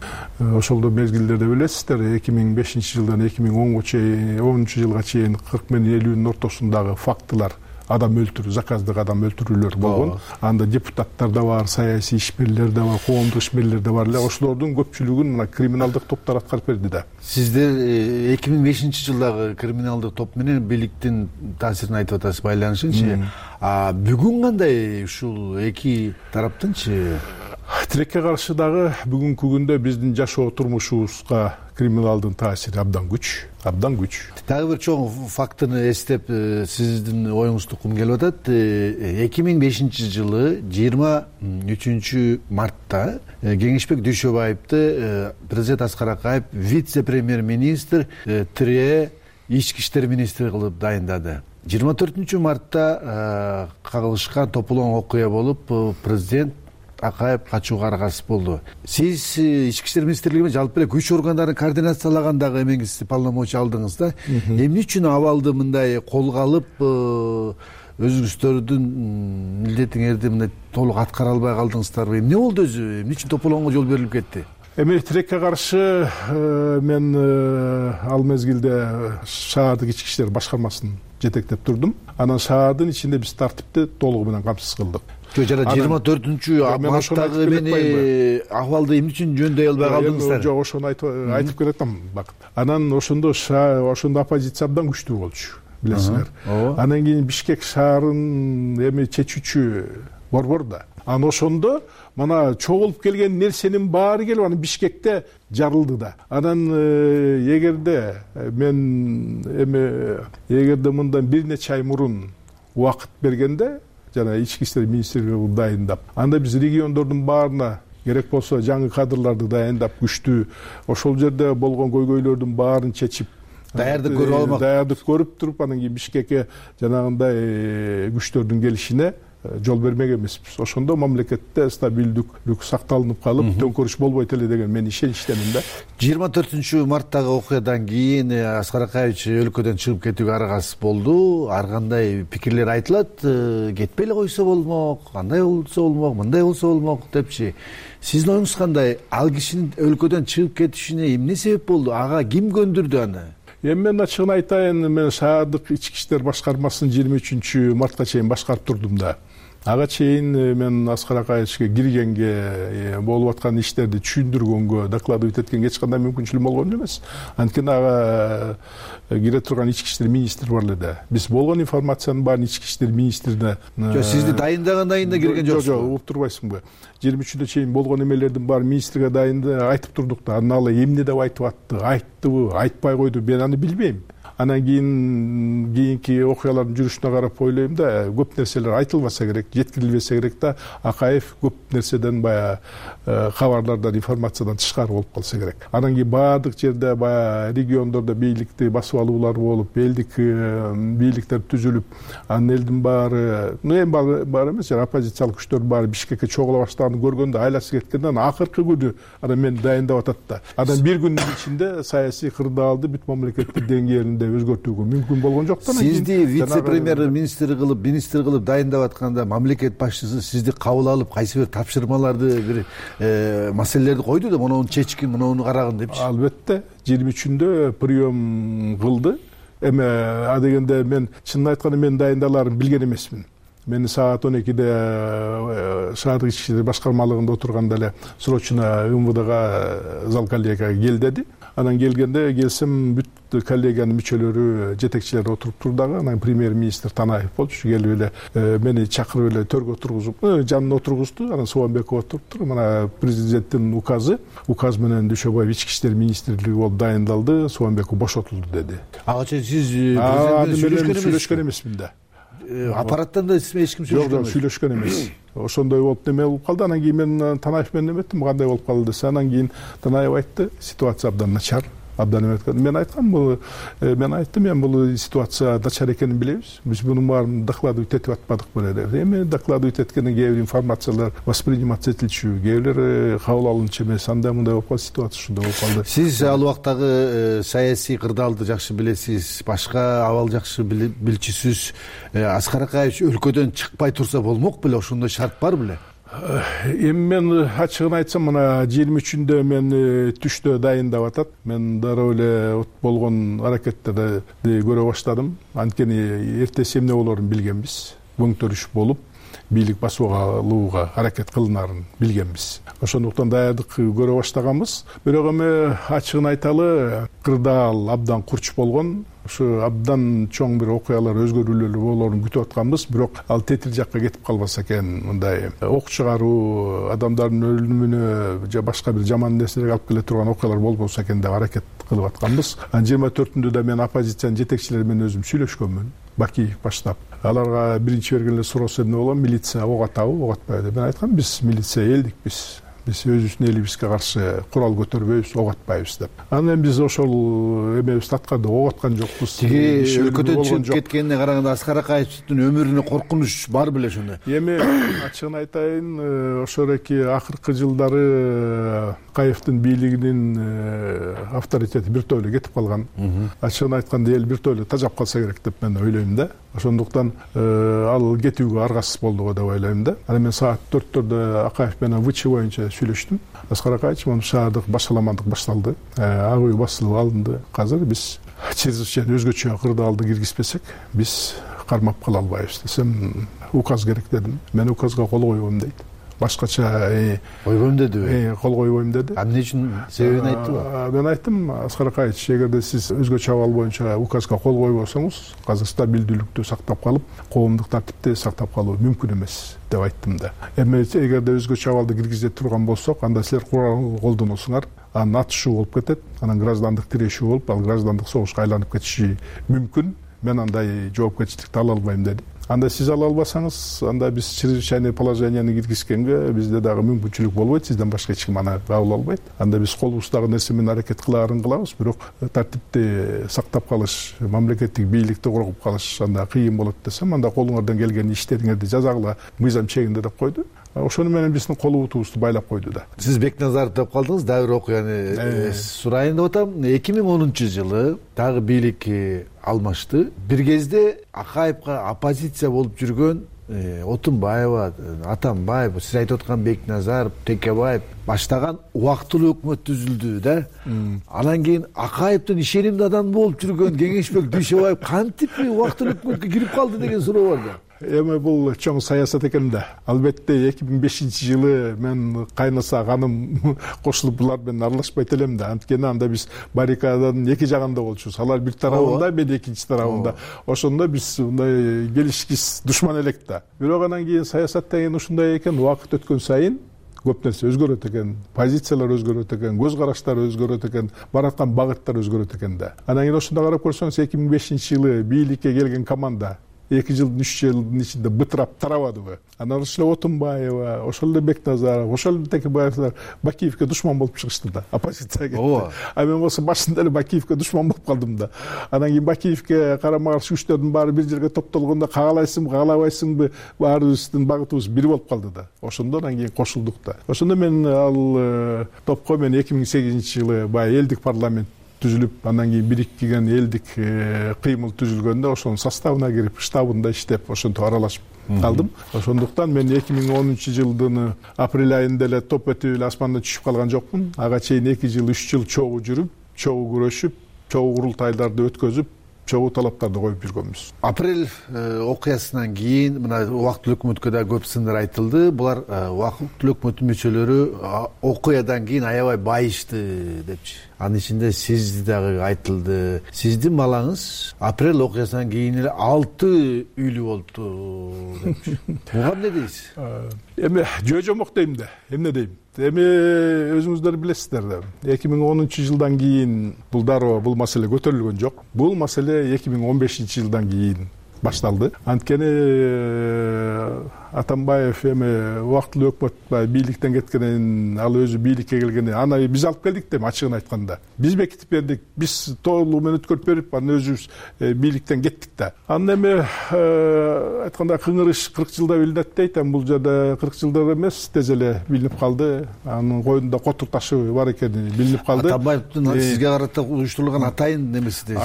Ошол мезгилдерде билесиздер, 2005-жылдан 2010 жылга чейин 40 менен 50-нын ортосундагы фактылар, адам өлтүрүү, заказдык адам өлтүрүүлөр болгон. Анда депутаттар да бар, саясий ишмерлер да бар, коомдук ишмерлер да бар эле. Ошолордун көпчүлүгүн мына криминалдык топтор аткарып берди да. Сиздер 2005-жылдагы криминалдык топ менен бийликтин таасирин айтып атасыз, байланышынчы. Бүгүн кандай ушул эки тараптынчы? Тилекке каршы дагы бүгүнкү күндө биздин жашоо турмушубузга криминалдын таасири абдан күч. Дагы бир чоң фактыны эстеп, сиздин оюңузду уккум келип атат. 2005-жылы 23 мартта Кеңешбек Дүйшөбаевди президент Аскар Акаев вице-премьер-министр тире ички иштер министри кылып дайындады. 24 мартта кагылышкан тополоң окуя болуп, президент Акаев качууга аргасыз болду. Сиз ички иштер министрлигинен жалпы эле күч органдарын координациялагандагы эмеңиз полномочия алдыңыз да. Эмне үчүн абалды мындай колго алып өзгөрүштөрдүн милдетиңерди мындай толук аткара албай калдыңыздарбы? Эмне болду өзү? Эмне үчүн тополгонго жол берилип кетти? Эми тилекке каршы мен ал мезгилде шаардык ички иштер башкармасын жетектеп турдум. Анан шаардын ичинде биз тартипти толугу менен камсыз кылдык. Жана 24-марттагы мени акыбалды эмне үчүн жөндөй албай калдыңыздар? Жок, ошону айтып келатам. Анан ошондо оппозиция абдан күчтүү болчу, билесиңер. Анан кийин Бишкек шаарын эми чечүүчү борбор да. Анан ошондо мына чогулуп келген нерсенин баары келип анан Бишкекте жарылды да. Анан эгерде мындан бир нече ай мурун убакыт бергенде жана ички иштер министрлиги дайындап, анда биз региондордун баарына керек болсо жаңы кадрларды дайындап, күчтүү ошол жерде болгон көйгөйлөрдүн баарын чечип, даярдык көрүп туруп, анан кийин Бишкекке жанагындай күчтөрдүн келишине жол бермек эмеспиз. Ошондо мамлекетте стабилдүүлүк сакталынып калып, төңкөрүш болбойт эле деген мен ишеничтемин да. 24-марттагы окуядан кийин Аскар Акаевич өлкөдөн чыгып кетүүгө аргасыз болду. Ар кандай пикирлер айтылат, кетпей эле койсо болмок, андай болсо болмок, мындай болсо болмок депчи. Сиздин оюңуз кандай? Ал кишинин өлкөдөн чыгып кетишине эмне себеп болду? Ага ким көндүрдү аны? Эми мен ачыгын айтайын, мен шаардык ички иштер башкармасын 23-мартка чейин башкарып турдум да. Ага чейин мен Аскар Акаевичке киргенге, болуп аткан иштерди түшүндүргөнгө, докладывать эткенге эч кандай мүмкүнчүлүгүм болгон эмес. Анткени ага кире турган ички иштер министри бар эле да. Биз болгон информациянын баарын ички иштер министрине. Жок, сизди дайындагандан кийин да кирген жоксуз. Жок, угуп турбайсыңбы? 23-дө чейин болгон эмелердин баарын министрге айтып турдук да. Анан ал эмне деп айтып атты, айттыбы, айтпай койду, мен аны билбейм. Анан кийинки окуялардын жүрүшүнө карап ойлойм да, көп нерселер айтылбаса керек, жеткирилбесе керек да, Акаев көп нерседен баягы кабарлардан, информациядан тышкары болуп калса керек. Анан кийин баардык жерде баягы региондордо бийликти басып алуулар болуп, элдик бийликтер түзүлүп, анын элдин баары, эми баары эмес, оппозициялык күчтөр баары Бишкекке чогула баштаганын көргөндө айласы кеткенден акыркы күнү анан мени дайындап атат да. Анан бир күндүн ичинде саясий кырдаалды бүт мамлекеттик деңгээлинде өзгөртүүгө мүмкүн болгон жок да. Сизди вице-премьер министр кылып дайындап атканда мамлекет башчысы сизди кабыл алып, кайсы бир тапшырмаларды, бир маселелерди койду да, муну чечкин, муну карагын депчи. Албетте 23-үндө прием кылды. Эми адегенде мен чынын айтканда мен дайындаларын билген эмесмин. Мени саат 12-де шаардык ички иштер башкармалыгында отурганда эле срочно МВДга зал коллегияга кел деди. Анан келсем бүт коллегиянын мүчөлөрү, жетекчилери отуруп турду дагы. Анан премьер-министр Танаев болчу, келип эле мени чакырып эле төргө отургузуп, жанына отургузду. Анан Сооронбеков отуруптур. Мына президенттин указ менен Дүйшөбаев ички иштер министрлиги болуп дайындалды, Сооронбеков бошотулду деди. Ага чейин сиз сүйлөшкөн эмесмин да. Аппараттан да эч ким сүйлөшкөн эмес. Жок, сүйлөшкөн эмес. Ошондой болуп неме болуп калды. Анан кийин мен Танаев менен эметтим, кандай болуп калды десе, анан кийин Танаев айтты, ситуация абдан начар. Мен айткам, мен айттым, бул ситуация начар экенин билебиз. Биз мунун баарын докладывать этип атпадыкпы деп. Эми докладывать эткенден кээ бир информациялар восприниматься этилчү, кээ бир кабыл алынчу эмес, андай мындай болуп калды, ситуация ушундай болуп калды. Сиз ал убактагы саясий кырдаалды жакшы билесиз, башка абал жакшы билчүсүз. Аскар Акаевич өлкөдөн чыкпай турса болмок беле, ошондой шарт бар беле? Эми мен ачыгын айтсам, мына 23-үндө мен түштө дайындап атат. Мен дароо эле болгон аракеттерди көрө баштадым. Анткени эртеси эмне болорун билгенбиз. Көңтөрүш болуп, бийлик басып алууга аракет кылынарын билгенбиз. Ошондуктан даярдык көрө баштаганбыз. Бирок эми ачыгын айталы, кырдаал абдан курч болгон. Ушу абдан чоң бир окуялар, өзгөрүүлөр болоорун күтүп атканбыз. Бирок ал тетил жакка кетип калбаса экен, мындай ок чыгаруу, адамдардын өлүмүнө же башка бир жаман нерселерге алып келе турган окуялар болбосо экен деп аракет кылып атканбыз. 24-үндө да мен оппозициянын жетекчилери менен өзүм сүйлөшкөнмүн. Бакиев баштап. Аларга биринчи берген эле суроосу эмне болгон? Милиция ок атабы, ок атпайбы деп. Мен айткам, биз милиция элдикпиз. биз өзүбүздүн элибизге каршы курал көтөрбөйбүз, ок атпайбыз деп. Анан эми биз ошол эмебизди атканда ок аткан жокпуз. Тиги өлкөдөн чыгып кеткенине караганда Аскар Акаевдин өмүрүнө коркунуч бар беле ошондой. Эми ачыгын айтайын, ошол эки акыркы жылдары Акаевдин бийлигинин авторитети биртөөлүү кетип калган. Ачыгын айтканда эл биртөөлүү тажап калса керек деп мен ойлойм да. Ошондуктан ал кетүүгө аргасыз болду деп ойлойм да. Анан мен саат 4-төрдө Акаев менен ВЧ боюнча сүйлөштүм. Аскар Акаевич, мына шаардык башаламандык башталды, ак үй басылып алынды. Азыр биз чрезвычайно өзгөчө кырдаалды киргизбесек, биз кармап кала албайбыз десем, указ керек дедим. Мен указга кол койбойм дейт. Башкача койбойм дедиби? Кол койбойм деди. Эмне үчүн себебин айттыбы? Мен айттым, Аскар Акаевич, эгерде сиз өзгөчө абал боюнча указга кол койбосоңуз, азыр стабилдүүлүктү сактап калып, коомдук тартипти сактап калуу мүмкүн эмес деп айттым да. Эми эгерде өзгөчө абалды киргизе турган болсок, анда силер курал колдоносуңар, анан атышуу болуп кетет, анан граждандык тирешүү болуп, ал граждандык согушка айланып кетиши мүмкүн. Мен андай жоопкерчиликти ала албайм деди. Анда сиз ала албасаңыз, анда биз чрезвычайный положенияны киргизгенге бизде дагы мүмкүнчүлүк болбойт, сизден башка эч ким аны кабыл албайт. Анда биз колубуздагы нерсе менен аракет кылаарын кылабыз, бирок тартипти сактап калыш, мамлекеттик бийликти коргоп калыш анда кыйын болот десем, анда колуңардан келген иштериңерди жазагыла мыйзам чегинде деп койду. Ошону менен биздин колубутубузду байлап койду да. Сиз Бекназаров деп калдыңыз, дагы бир окуяны сурайын деп атам. 2010-жылы дагы бийлик алмашты. Бир кезде Акаевга оппозиция болуп жүргөн Отунбаева, Атамбаев, сиз айтып аткан Бекназаров, Текебаев баштаган убактылуу өкмөт түзүлдү да. Анан кийин Акаевдин ишенимдүү адам болуп жүргөн Кеңешбек Дүйшөбаев кантип убактылуу өкмөткө кирип калды деген суроо бар да. Эми бул чоң саясат экен да. Албетте 2005-жылы мен кайнаса каным кошулуп булар менен аралашпайт элем да. Анткени анда биз баррикаданын эки жагында болчубуз. Алар бир тарабында, мен экинчи тарабында. Ошондо биз мындай келишкис душман элек да. Бирок анан кийин саясат деген ушундай экен, убакыт өткөн сайын көп нерсе өзгөрөт экен, позициялар өзгөрөт экен, көз караштар өзгөрөт экен, бараткан багыттар өзгөрөт экен да. Анан кийин ошондо карап көрсөңүз, 2005-жылы бийликке келген команда 2 жыл 3 жылдын ичинде бытырап тарабадыбы? Анан ошол эле Отунбаева, ошол эле Бекназаров, ошол эле Текебаевдер Бакиевке душман болуп чыгышты да, оппозицияга кетти. А мен болсо башында эле Бакиевке душман болуп калдым да. Анан кийин Бакиевке карама каршы күчтөрдүн баары бир жерге топтолгондо кагалайсыңбы, кагалабайсыңбы, баарыбыздын багытыбыз бир болуп калды да. Ошондо анан кийин кошулдук да. Ошондо мен ал топко мен 2008-жылы баягы элдик парламент түзүлүп, андан кийин бириккен элдик кыймыл түзүлгөндө ошонун составына кирип, штабында иштеп, ошентип аралашып калдым. Ошондуктан мен 2010-жылдын апрель айында эле топ этип эле асмандан түшүп калган жокмун. Ага чейин 2 жыл 3 жыл чогуу жүрүп, чогуу күрөшүп, чогуу курултайларды өткөзүп, чогуу талаптарды коюп жүргөнбүз. Апрель окуясынан кийин мына убактылуу өкмөткө да көп сындар айтылды. Булар убактылуу өкмөттүн мүчөлөрү окуядан кийин аябай байышты депчи. Анын ичинде сиз дагы айтылды. Сиздин балаңыз апрель окуясынан кийин эле 6 үйлүү болупту депчи. Буга эмне дейсиз? Эми жөө-жомок дейм да. Эмне дейм? Эми өзүңүздөр билесиздер да. 2010-жылдан кийин бул дароо бул маселе көтөрүлгөн жок. Бул маселе 2015-жылдан кийин башталды. Анткени Атамбаев эми убактылуу өкмөт бийликтен кеткенин, ал өзү бийликке келгенин аны биз алып келдик деп ачыгын айтканда. Биз бекитип бердик, биз толугу менен өткөрүп берип, анан өзүбүз бийликтен кеттик да. Анан эми айтканда кыңырыш 40 жылда билинет дейт, бул жерде 40 жылда эмес, тез эле билинип калды. Анын койдунда котур ташы бар экени билинип калды. Атамбаевдин сизге карата уюштурулган атайын немеси дейсиз?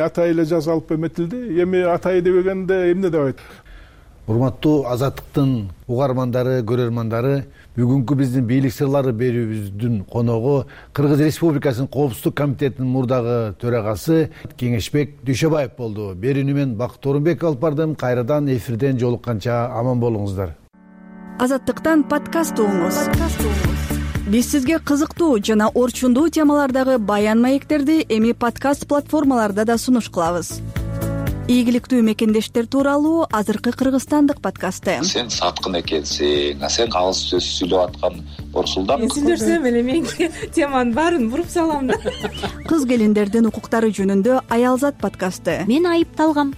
Атай эле жазалып эметилди. Эми атай дебегенде эмне деп айтат? Урматтуу Азаттыктын угармандары, көрөрмандары, бүгүнкү биздин бийлик сырлары берүүбүздүн коногу Кыргыз Республикасынын Коопсуздук комитетинин мурдагы төрагасы Кеңешбек Дүйшөбаев болду. Берүүнү мен Бакыт Орунбек алып бардым. Кайрадан эфирден жолукканча аман болуңуздар. Азаттыктан подкаст угуңуз. Биз сизге кызыктуу жана орчундуу темалардагы баян маектерди эми подкаст платформаларда да сунуш кылабыз. Ийгиликтүү мекендештер тууралуу азыркы кыргызстандык подкасты. Сен саткын экенсиң, сен алыс сөз сүйлөп аткан Орсулдан. Мен сүйлөсөм эле мен теманын баарын буруп салам да. Кыз келиндердин укуктары жөнүндө Аялзат подкасты. Мен айыпталгам.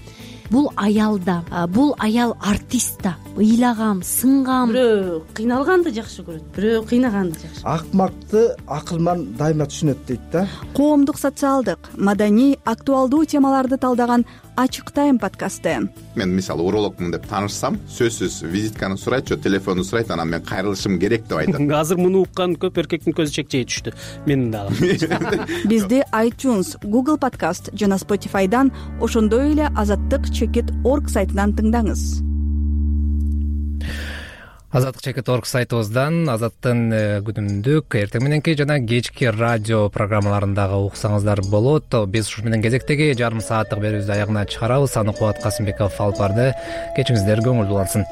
Бул аял да, бул аял артист да. ыйлагам, сынгам. Бирөө кыйналганды жакшы көрөт, бирөө кыйнаганды жакшы. Акмакты акылман дайыма түшүнөт дейт да. Коомдук, социалдык, маданий, актуалдуу темаларды талдаган Ачык Тайм подкасты. Мен мисалы урологмун деп таанышсам, сөзсүз визитканы сурайт же телефонду сурайт, анан мен кайрылышым керек деп айтат. Азыр муну уккан көп эркектин көзү чекчейе түштү. Менин дагы. Бизди iTunes, Google Podcast жана Spotify'дан, ошондой эле azattik.org сайтынан тыңдаңыз. azattik.org сайтыбыздан Азаттын күнүмдүк, эртең мененки жана кечки радио программаларындагы уксаңыздар болот. Биз ушу менен кезектеги жарым сааттык берүүбүздү аягына чыгарабыз. Саныкубат Касымбеков алып барды. Кечиңиздер көңүлдүү улансын.